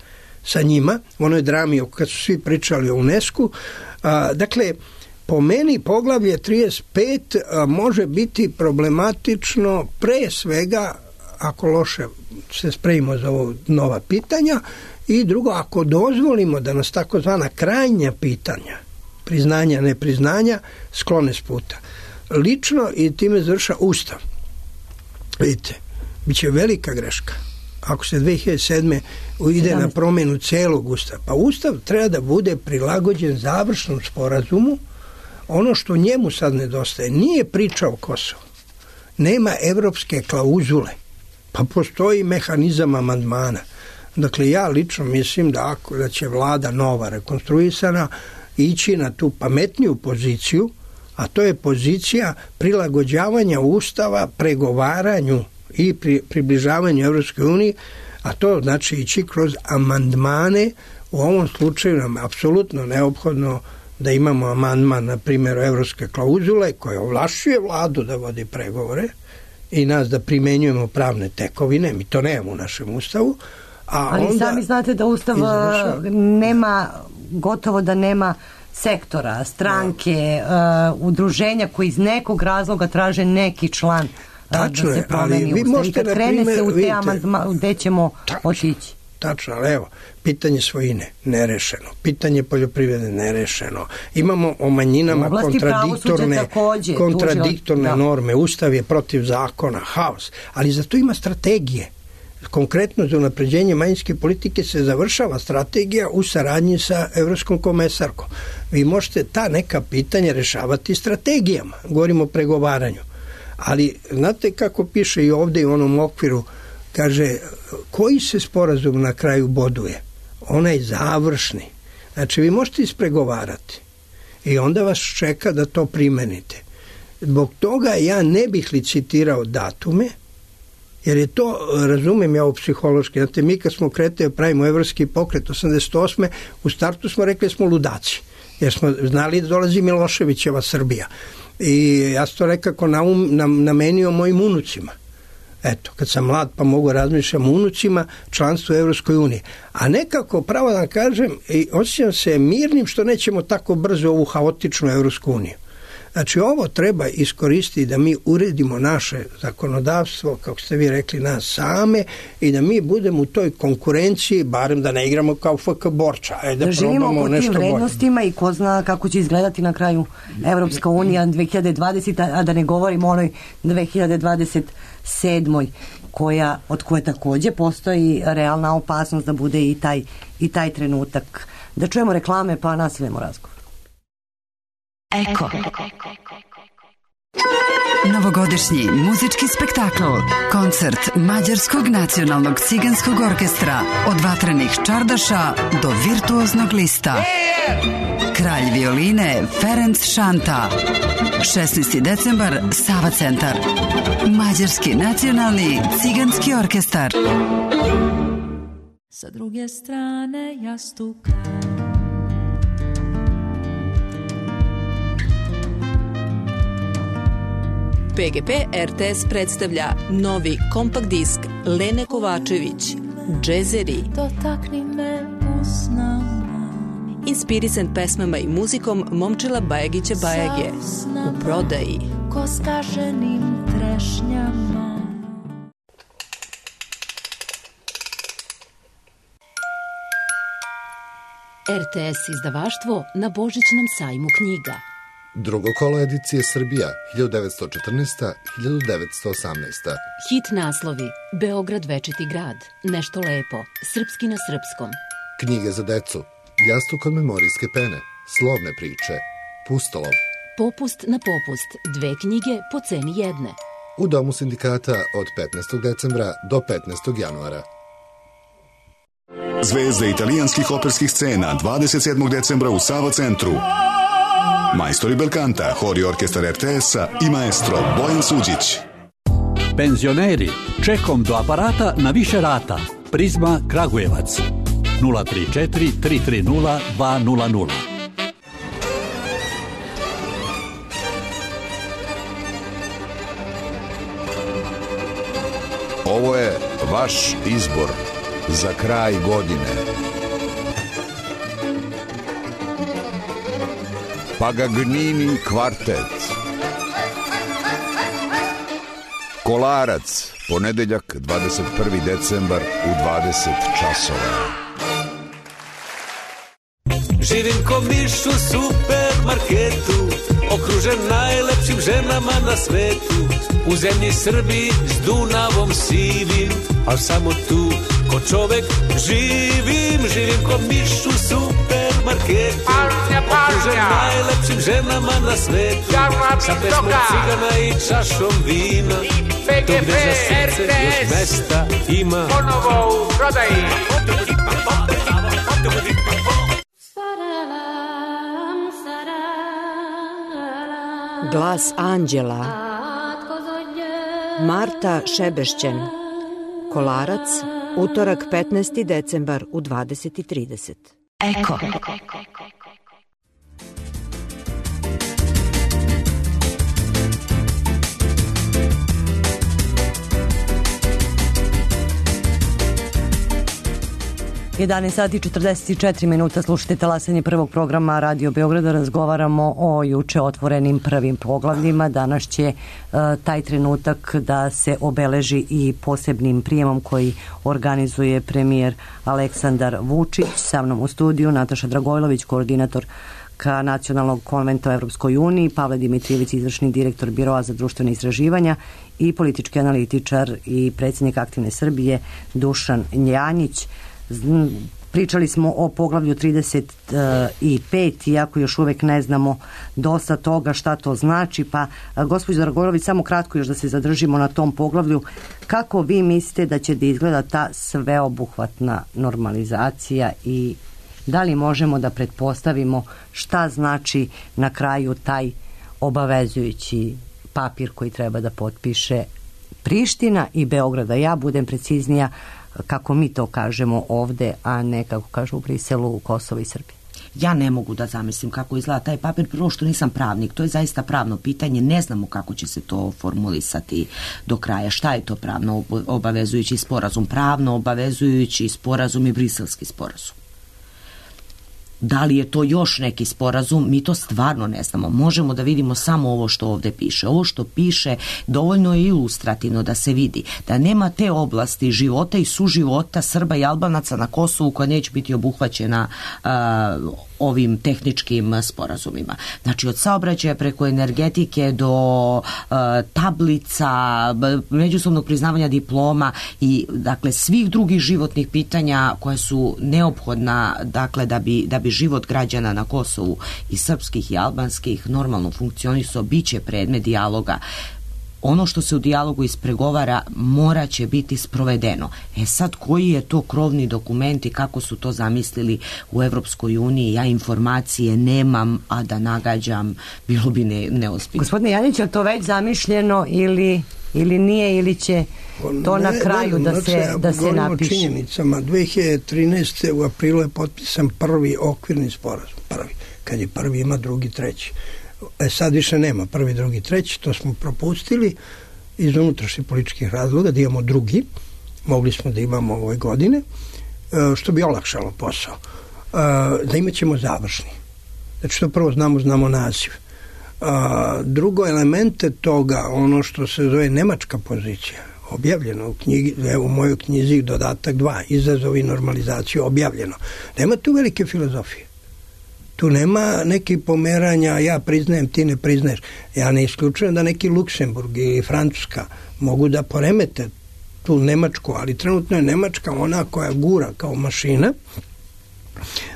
sa njima, u onoj drami kad su svi pričali o UNESCO. A, dakle, po meni poglavlje trideset pet a, može biti problematično pre svega ako loše se spremimo za ovo nova pitanja i drugo, ako dozvolimo da nas takozvana krajnja pitanja, priznanja, nepriznanja, sklone s puta. Lično i time završa Ustav. Vidite, bit će velika greška ako se dve hiljade sedme ide na promjenu celog Ustava. Pa Ustav treba da bude prilagođen završnom sporazumu. Ono što njemu sad nedostaje nije priča o Kosovu. Nema evropske klauzule. Pa postoji mehanizam amandmana. Dakle, ja lično mislim da, ako, da će vlada nova rekonstruisana ići na tu pametniju poziciju, a to je pozicija prilagođavanja Ustava pregovaranju i pri, približavanju Evropskoj uniji, a to znači ići kroz amandmane. U ovom slučaju nam je apsolutno neophodno da imamo amandman, na primjer, evropske klauzule koje ovlašćuje vladu da vodi pregovore i nas da primenjujemo pravne tekovine, mi to nemamo u našem Ustavu. A Ali onda sami znate da Ustav izvršava. nema, gotovo da nema sektora, stranke, uh, udruženja koji iz nekog razloga traže neki član uh, Tačno da se je, promeni ali vi Ustav. možete, I kad na krene primer, se u te vidite, amandma, gde ćemo tačno, otići. Tačno, ali evo, pitanje svojine nerešeno, pitanje poljoprivrede nerešeno. Imamo o manjinama kontradiktorne, takođe, kontradiktorne tužila, norme, Ustav je protiv zakona, haos, ali za to ima strategije. Konkretno za unapređenje manjinske politike se završava strategija u saradnji sa Evropskom komesarkom. Vi možete ta neka pitanja rešavati strategijama, govorimo o pregovaranju. Ali znate kako piše i ovde i u onom okviru, kaže, koji se sporazum na kraju boduje? Onaj završni. Znači, vi možete ispregovarati i onda vas čeka da to primenite. Zbog toga ja ne bih licitirao datume, jer je to, razumem ja ovo psihološki, znate, mi kad smo kretali, pravimo evropski pokret osamdeset osme u startu smo rekli smo ludaci, jer smo znali da dolazi Miloševićeva Srbija. I ja sam to rekako naum, nam, namenio mojim unucima. Eto, kad sam mlad pa mogu razmišljam o unucima, članstvo u Evropskoj uniji. A nekako, pravo da kažem, i osjećam se mirnim što nećemo tako brzo ovu haotičnu Evropsku uniju. Znači, ovo treba iskoristiti da mi uredimo naše zakonodavstvo, kako ste vi rekli, nas same, i da mi budemo u toj konkurenciji, barem da ne igramo kao F K Borča. Ajde, da živimo po tim vrednostima i ko zna kako će izgledati na kraju Evropska unija dve hiljade dvadesete. a da ne govorimo o onoj dve hiljade dvadeset sedmoj koja, od koje takođe postoji realna opasnost da bude i taj, i taj trenutak. Da čujemo reklame pa nastavljamo razgovor. Eko. Novogodišnji muzički spektakl, koncert Mađarskog nacionalnog ciganskog orkestra, od vatrenih čardaša do virtuoznog lista. Kralj violine Ferenc Šanta. šesnaesti decembar, Sava centar. Mađarski nacionalni ciganski orkestar. Sa druge strane jastuka P G P R T S predstavlja novi kompakt disk Lene Kovačević, Džezeri. Dotakni me usnama. Inspirisan pesmama i muzikom Momčila Bajagića Bajage. U prodaji. Ko skaženim trešnjama. R T S izdavaštvo na Božićnom sajmu knjiga. Drugo kolo edicije Srbija, hiljadu devetsto četrnaesta do hiljadu devetsto osamnaesta. Hit naslovi: Beograd večiti grad, Nešto lepo, Srpski na srpskom. Knjige za decu: Jastuk od memorijske pene, Slovne priče, Pustolov. Popust na popust, dve knjige po ceni jedne. U Domu sindikata od petnaestog decembra do petnaestog januara. Zvezde italijanskih operskih scena dvadeset sedmog decembra u Sava centru. Majstori belkanta, hor i orkestar R T S-a i maestro Bojan Suđić. Penzioneri, čekom do aparata na više rata. Prizma Kragujevac. nula tri četiri tri tri nula dva nula nula. Ovo je vaš izbor za kraj godine. Pagagnini kvartet. Kolarac, ponedeljak dvadeset prvi decembar u dvadeset časova. Živim ko miš u supermarketu, okružen najlepšim ženama na svetu. U zemlji Srbiji s Dunavom sivim, al samo tu ko čovek živim. Živim ko miš u supermarketu, okružen najlepšim ženama na svetu, sa pesmom cigana i čašom vina, tu gde za srce još mesta ima. Ponovo u prodaji. Glas anđela. Marta Šebešćen. Kolarac, utorak petnaesti decembar u dvadeset i trideset. Eko. jedanaest sati i četrdeset četiri minuta, slušajte talasanje prvog programa Radio Beograda, razgovaramo o juče otvorenim prvim poglavljima. Danas će uh, taj trenutak da se obeleži i posebnim prijemom koji organizuje premijer Aleksandar Vučić. Sa mnom u studiju Nataša Dragojlović, koordinator ka Nacionalnog konventa o Evropskoj uniji, Pavle Dimitrijević, izvršni direktor Biroa za društvene istraživanja i politički analitičar i predsjednik Aktivne Srbije Dušan Njanjić. Pričali smo o poglavlju trideset pet, iako još uvek ne znamo dosta toga šta to znači, pa gospođo Dragojlović, samo kratko još da se zadržimo na tom poglavlju. Kako vi mislite da će da izgleda ta sveobuhvatna normalizacija i da li možemo da pretpostavimo šta znači na kraju taj obavezujući papir koji treba da potpiše Priština i Beograda? Ja budem preciznija, kako mi to kažemo ovde, a ne kako kažu u Briselu, u Kosovo i Srbiji. Ja ne mogu da zamislim kako izgleda taj papir, prvo što nisam pravnik, to je zaista pravno pitanje, ne znamo kako će se to formulisati do kraja, šta je to pravno obavezujući sporazum, pravno obavezujući sporazum i briselski sporazum. Da li je to još neki sporazum, mi to stvarno ne znamo. Možemo da vidimo samo ovo što ovde piše. Ovo što piše dovoljno je ilustrativno da se vidi da nema te oblasti života i suživota Srba i Albanaca na Kosovu koja neće biti obuhvaćena uh, ovim tehničkim sporazumima. Znači od saobraćaja preko energetike do uh, tablica, međusobnog priznavanja diploma i dakle svih drugih životnih pitanja koja su neophodna dakle da bi, da bi život građana na Kosovu i srpskih i albanskih normalno funkcionisao, bit će predmet dijaloga. Ono što se u dijalogu ispregovara mora će biti sprovedeno. E sad, koji je to krovni dokument i kako su to zamislili u Evropskoj uniji, ja informacije nemam, a da nagađam bilo bi ne, neozbiljno. Gospodine Janić, je to već zamišljeno ili, ili nije, ili će to ne, na kraju ne, da, se, ja da se napiše? O činjenicama, dve hiljade trinaeste. u aprilu je potpisan prvi okvirni sporazum. Prvi. Kad je prvi, ima drugi, treći. E sad više nema prvi, drugi, treći, to smo propustili iz unutrašnjih političkih razloga, da imamo drugi, mogli smo da imamo ove godine, što bi olakšalo posao. Da imat ćemo završni. Znači to prvo znamo, znamo naziv. Drugo, elemente toga, ono što se zove nemačka pozicija, objavljeno u knjigi, evo u mojoj knjizi dodatak dva, izazovi normalizaciju, objavljeno. Nema tu velike filozofije. Tu nema nekih pomeranja, ja priznajem, ti ne priznaješ. Ja ne isključujem da neki Luksemburg i Francuska mogu da poremete tu Nemačku, ali trenutno je Nemačka ona koja gura kao mašina.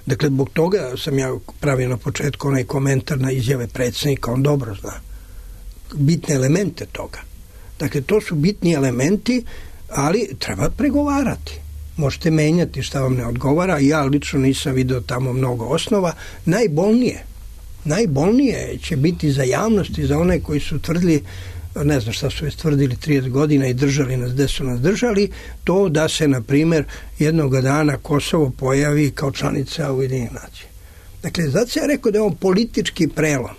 Dakle, zbog toga sam ja pravio na početku onaj komentar na izjave predsjednika, on dobro zna bitne elemente toga. Dakle, to su bitni elementi, ali treba pregovarati. Možete menjati šta vam ne odgovara, ja lično nisam video tamo mnogo osnova. Najbolnije, najbolnije će biti za javnost i za one koji su tvrdili, ne znam šta su već tvrdili trideset godina i držali nas gde su nas držali, to da se, na primjer, jednog dana Kosovo pojavi kao članica Ujedinjenih nacija. Dakle, zato sam ja rekao da je on politički prelom.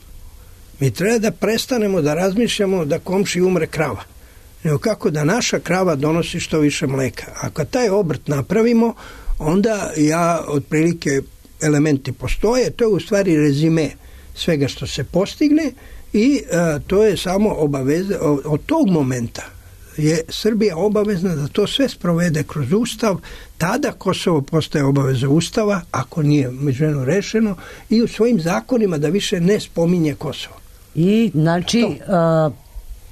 Mi treba da prestanemo da razmišljamo da komši umre krava, nego kako da naša krava donosi što više mleka. Ako taj obrt napravimo, onda ja otprilike elementi postoje, to je u stvari rezime svega što se postigne i a, to je samo obaveza, od tog momenta je Srbija obavezna da to sve sprovede kroz Ustav, tada Kosovo postaje obaveza Ustava, ako nije međuvremeno rešeno, i u svojim zakonima da više ne spominje Kosovo. I znači to,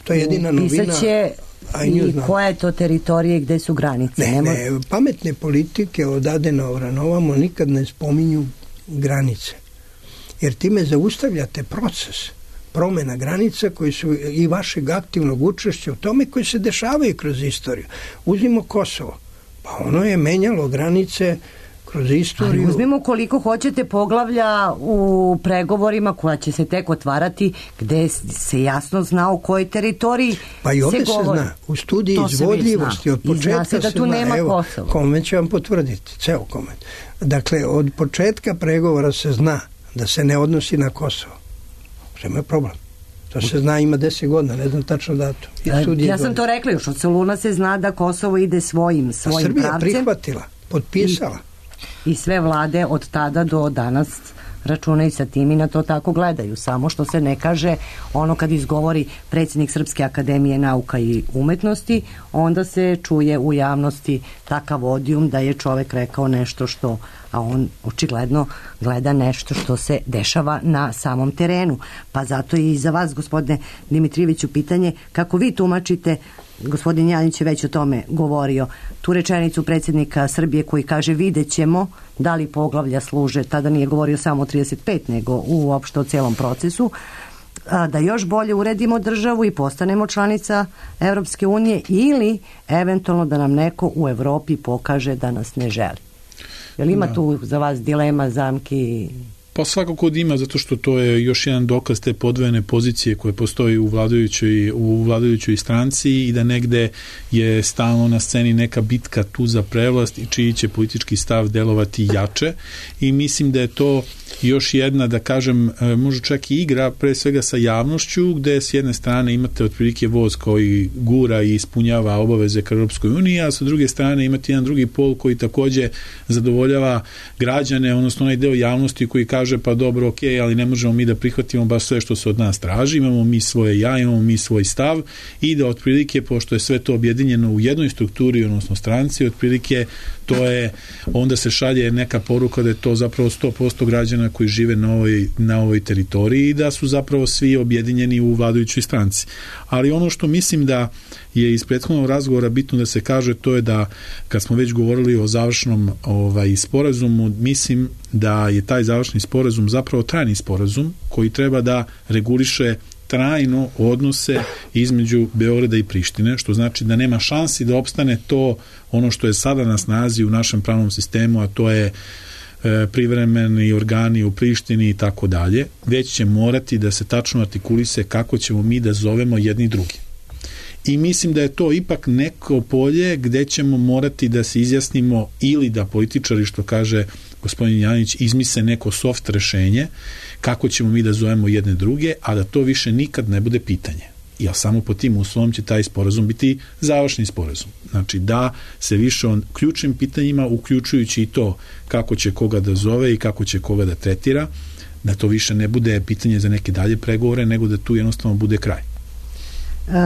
to je jedina novina. Pisaće i koja je to teritorije, gde su granice? Ne, Nemo... ne, pametne politike od Adenauera na ovamo nikad ne spominju granice. jer time zaustavljate proces promjena granica koji su i vašeg aktivnog učešća u tome koji se dešavaju kroz istoriju. Uzmimo Kosovo. Pa ono je menjalo granice kroz istoriju. Ali uzmimo koliko hoćete poglavlja u pregovorima koja će se tek otvarati, gde se jasno zna o kojoj teritoriji pa i ovdje se govori. Se zna, u studiji izvodljivosti od početka se, da tu zna, nema evo, Kosovo. Konvent će vam potvrditi, ceo konvent. Dakle, od početka pregovora se zna da se ne odnosi na Kosovo. Prema je problem. To se zna, ima deset godina, ne znam tačno datum. Ja sam to rekla, još od Soluna se zna da Kosovo ide svojim, svojim Srbija pravcem. Srbija prihvatila, potpisala. I, I sve vlade od tada do danas računaju sa tim i na to tako gledaju. Samo što se ne kaže ono kad izgovori predsjednik Srpske akademije nauka i umetnosti, onda se čuje u javnosti takav odijum da je čovek rekao nešto što, a on očigledno gleda nešto što se dešava na samom terenu. Pa zato i za vas, gospodine Dimitrijeviću, pitanje kako vi tumačite, gospodin Janjić je već o tome govorio, tu rečenicu predsjednika Srbije koji kaže vidjet ćemo da li poglavlja služe, tada nije govorio samo o trideset pet, nego uopšte o celom procesu, da još bolje uredimo državu i postanemo članica Evropske unije ili eventualno da nam neko u Evropi pokaže da nas ne želi. Jel ima da. tu za vas dilema, zamki? Pa svakako da ima, zato što to je još jedan dokaz te podvojene pozicije koje postoji u vladajućoj, u vladajućoj stranci i da negde je stalno na sceni neka bitka tu za prevlast i čiji će politički stav delovati jače i mislim da je to još jedna, da kažem, možda čak i igra pre svega sa javnošću, gde s jedne strane imate otprilike voz koji gura i ispunjava obaveze ka Europskoj uniji, a sa druge strane imate jedan drugi pol koji takođe zadovoljava građane, odnosno onaj deo javnosti koji kaže pa dobro, ok, ali ne možemo mi da prihvatimo baš sve što se od nas traži, imamo mi svoje ja, imamo mi svoj stav i da otprilike, pošto je sve to objedinjeno u jednoj strukturi, odnosno stranci, otprilike to je, onda se šalje neka poruka da je to zapravo sto posto građana koji žive na ovoj, na ovoj teritoriji i da su zapravo svi objedinjeni u vladajućoj stranci. Ali ono što mislim da je iz prethodnog razgovora bitno da se kaže, to je da kad smo već govorili o završnom ovaj, sporazumu, mislim da je taj završni sporazum zapravo trajni sporazum koji treba da reguliše trajno odnose između Beograda i Prištine, što znači da nema šansi da opstane to ono što je sada na snazi u našem pravnom sistemu, a to je e, privremeni organi u Prištini i tako dalje, već će morati da se tačno artikulise kako ćemo mi da zovemo jedni drugi. I mislim da je to ipak neko polje gde ćemo morati da se izjasnimo ili da političari, što kaže gospodin Janić, izmise neko soft rešenje kako ćemo mi da zovemo jedne druge, a da to više nikad ne bude pitanje. Jer samo po tim uslovom će taj sporazum biti završni sporazum. Znači da se više on ključnim pitanjima, uključujući i to kako će koga da zove i kako će koga da tretira, da to više ne bude pitanje za neke dalje pregovore, nego da tu jednostavno bude kraj.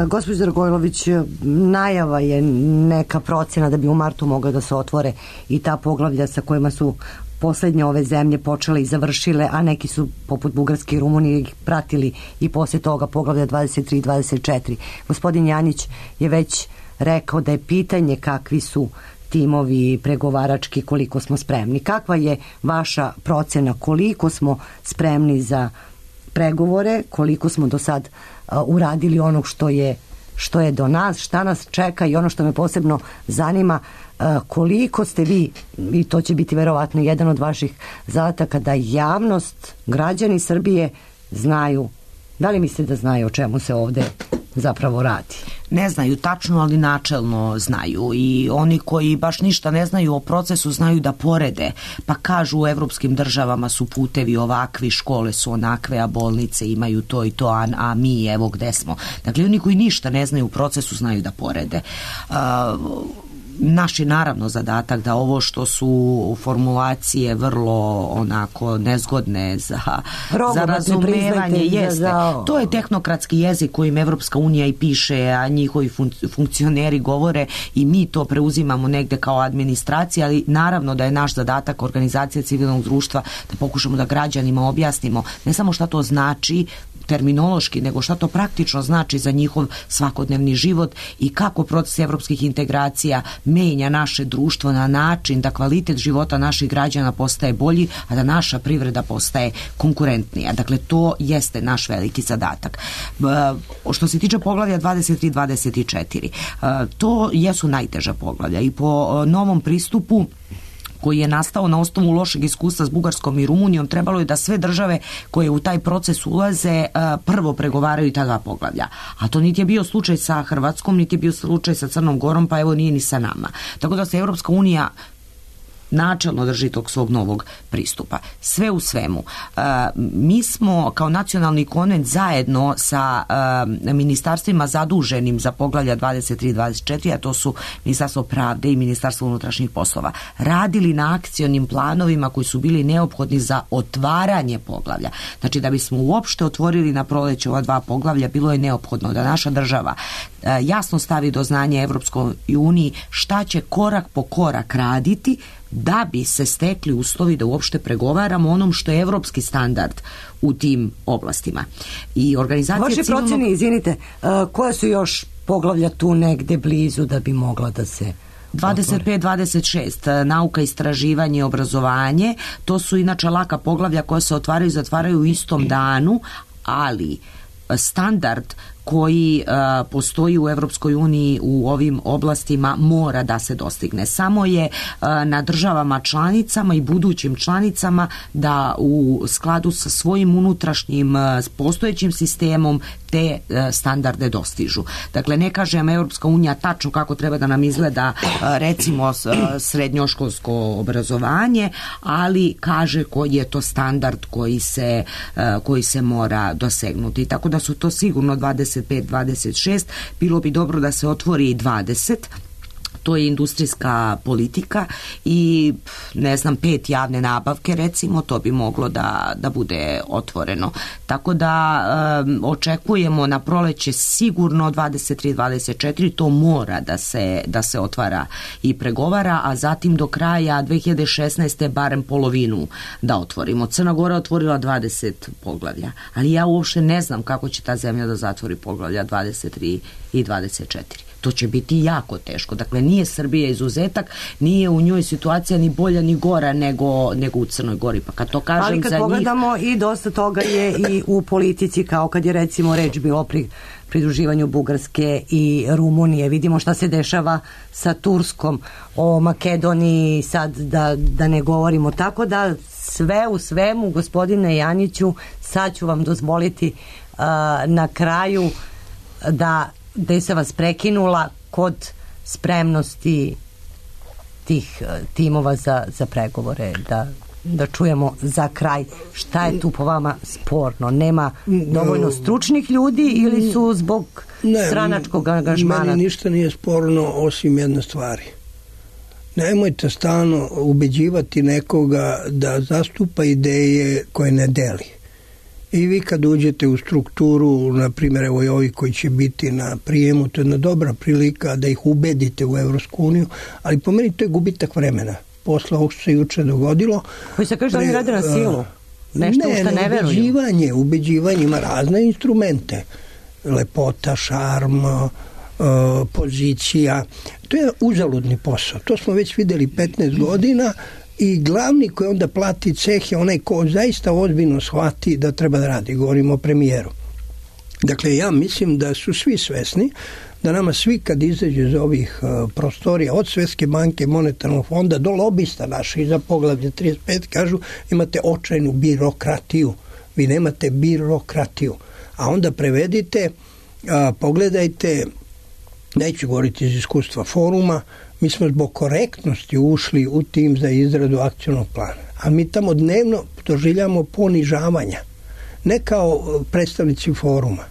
Gospođo Dragojlović, najava je neka procjena da bi u martu mogla da se otvore i ta poglavlja sa kojima su poslednje ove zemlje počele i završile, a neki su poput Bugarske i Rumunije pratili i posle toga poglavlja dvadeset tri i dvadeset četiri. Gospodin Janić je već rekao da je pitanje kakvi su timovi pregovarački, koliko smo spremni. Kakva je vaša procena, koliko smo spremni za pregovore, koliko smo do sad uh, uradili onog što je, što je do nas, šta nas čeka i ono što me posebno zanima, uh, koliko ste vi, i to će biti verovatno jedan od vaših zadataka, da javnost, građani Srbije znaju, da li mislite da znaju o čemu se ovde zapravo radi? Ne znaju tačno, ali načelno znaju i oni koji baš ništa ne znaju o procesu znaju da porede, pa kažu u evropskim državama su putevi ovakvi, škole su onakve, a bolnice imaju to i to, a, a mi evo gde smo. Dakle, oni koji ništa ne znaju u procesu znaju da porede. Uh, Naš je naravno zadatak da ovo što su formulacije vrlo onako nezgodne za, za razumevanje jeste. Za... To je tehnokratski jezik kojim Evropska unija i piše, a njihovi fun- funkcioneri govore i mi to preuzimamo negde kao administracija, ali naravno da je naš zadatak organizacija civilnog društva da pokušamo da građanima objasnimo ne samo šta to znači, terminološki, nego šta to praktično znači za njihov svakodnevni život i kako proces evropskih integracija menja naše društvo na način da kvalitet života naših građana postaje bolji, a da naša privreda postaje konkurentnija. Dakle, to jeste naš veliki zadatak. Što se tiče poglavlja dvadeset tri dvadeset četiri, to jesu najteža poglavlja i po novom pristupu koji je nastao na osnovu lošeg iskustva s Bugarskom i Rumunijom, trebalo je da sve države koje u taj proces ulaze prvo pregovaraju ta dva poglavlja. A to niti je bio slučaj sa Hrvatskom, niti je bio slučaj sa Crnom Gorom, pa evo nije ni sa nama. Tako da se Evropska unija načelno drži tog svog novog pristupa. Sve u svemu. E, mi smo kao nacionalni konvent zajedno sa e, ministarstvima zaduženim za poglavlja dvadeset tri dvadeset četiri, a to su Ministarstvo pravde i Ministarstvo unutrašnjih poslova, radili na akcionim planovima koji su bili neophodni za otvaranje poglavlja. Znači, da bismo uopšte otvorili na proleće ova dva poglavlja, bilo je neophodno da naša država e, jasno stavi do znanja Evropskoj uniji šta će korak po korak raditi da bi se stekli uslovi da uopšte pregovaramo onom što je evropski standard u tim oblastima. I organizacija Vaše civilnog... procene, izvinite, uh, koja su još poglavlja tu negde blizu da bi mogla da se dvadeset pet dvadeset šest, nauka, istraživanje, obrazovanje, to su inače laka poglavlja koja se otvaraju i zatvaraju u istom danu, ali standard koji uh, postoji u Evropskoj uniji u ovim oblastima mora da se dostigne. Samo je uh, na državama članicama i budućim članicama da u skladu sa svojim unutrašnjim uh, postojećim sistemom te uh, standarde dostižu. Dakle, ne kažem Evropska unija tačno kako treba da nam izgleda uh, recimo uh, srednjoškolsko obrazovanje, ali kaže koji je to standard koji se, uh, koji se mora dosegnuti. Tako da su to sigurno dvadeset pet dvadeset šest, bilo bi dobro da se otvori i dvadeset, to je industrijska politika i ne znam, pet javne nabavke recimo, to bi moglo da, da bude otvoreno. Tako da um, očekujemo na proleće sigurno dvadeset tri dvadeset četiri, to mora da se, da se otvara i pregovara, a zatim do kraja dve hiljade šesnaeste barem polovinu da otvorimo. Crna Gora otvorila dvadeset poglavlja, ali ja uopšte ne znam kako će ta zemlja da zatvori poglavlja dvadeset tri i dvadeset četiri. To će biti jako teško. Dakle, nije Srbija izuzetak, nije u njoj situacija ni bolja ni gora nego, nego u Crnoj Gori. Pa kad to kažem ali kad za pogledamo njih... i dosta toga je i u politici, kao kad je recimo reč bilo pri pridruživanju Bugarske i Rumunije. Vidimo šta se dešava sa Turskom, o Makedoniji sad da, da ne govorimo. Tako da sve u svemu, gospodine Janiću, sad ću vam dozvoliti uh, na kraju da gde se vas prekinula kod spremnosti tih timova za, za pregovore, da, da čujemo za kraj šta je tu po vama sporno. Nema dovoljno stručnih ljudi ili su zbog ne, stranačkog angažmana? Meni ništa nije sporno osim jedne stvari. Nemojte stalno ubeđivati nekoga da zastupa ideje koje ne deli. I vi kad uđete u strukturu, na primjer, evo i ovi koji će biti na prijemu, to je jedna dobra prilika da ih ubedite u Evropsku uniju, ali po meni to je gubitak vremena. Posle ovog što se juče dogodilo... Koji se kaže da oni rade na silu? Nešto ne, u što ne, ne veruju? ubeđivanje, ubeđivanje ima razne instrumente. Lepota, šarm, uh, pozicija. To je uzaludni posao. To smo već videli petnaest godina. I glavni koji onda plati ceh je onaj ko zaista ozbiljno shvati da treba da radi. Govorimo o premijeru. Dakle, ja mislim da su svi svesni da nama svi kad izađe iz ovih uh, prostorija od Svetske banke, monetarnog fonda do lobista naših za poglavlje trideset pet kažu imate očajnu birokratiju. Vi nemate birokratiju. A onda prevedite, uh, pogledajte, neću govoriti iz iskustva foruma, mi smo zbog korektnosti ušli u tim za izradu akcionog plana. A mi tamo dnevno doživljamo ponižavanja. Ne kao predstavnici foruma,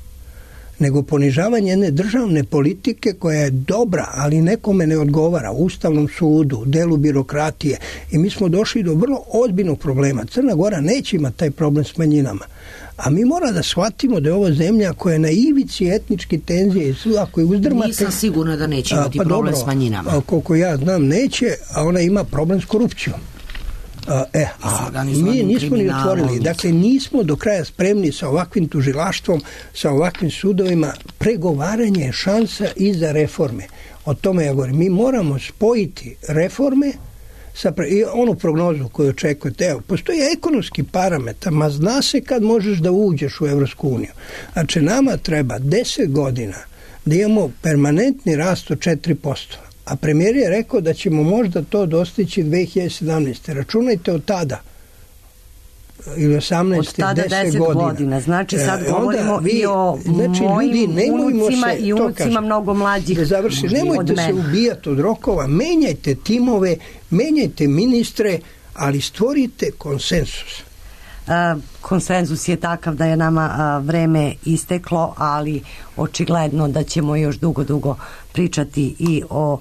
nego ponižavanje jedne državne politike koja je dobra, ali nekome ne odgovara. U Ustavnom sudu, delu birokratije. I mi smo došli do vrlo ozbiljnog problema. Crna Gora neće imati taj problem s manjinama. A mi mora da shvatimo da je ovo zemlja koja je na ivici etničke tenzije i ako je uzdrmate... Nisam sigurna da neće imati pa problem dobro, s manjinama. A koliko ja znam neće, a ona ima problem s korupcijom. A, e, a mi nismo ni otvorili. Dakle, nismo do kraja spremni sa ovakvim tužilaštvom, sa ovakvim sudovima. Pregovaranje je šansa i za reforme. O tome ja govorim. Mi moramo spojiti reforme sa pre... i onu prognozu koju očekujete. Evo, postoji ekonomski parametar, ma zna se kad možeš da uđeš u Evropsku uniju. Znači, nama treba deset godina da imamo permanentni rast od četiri posto. A premijer je rekao da ćemo možda to dostići dve hiljade sedamnaeste. Računajte od tada ili osamnaeste, od tada deset godina. godina. Znači sad e, govorimo vi, i o znači, mojim ljudi, unucima se, i unucima mnogo mlađih da završi, nemojte se ubijati od rokova, menjajte timove, menjajte ministre, ali stvorite konsensus. A, konsenzus je takav da je nama a, vreme isteklo, ali očigledno da ćemo još dugo, dugo pričati i o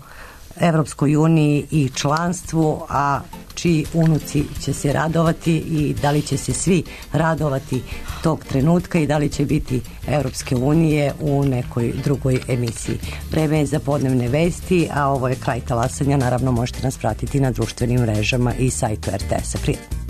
Evropskoj uniji i članstvu, a čiji unuci će se radovati i da li će se svi radovati tog trenutka i da li će biti Evropske unije u nekoj drugoj emisiji. Vreme je za podnevne vesti, a ovo je kraj talasanja. Naravno možete nas pratiti na društvenim mrežama i sajtu er te es-a. Prijatno.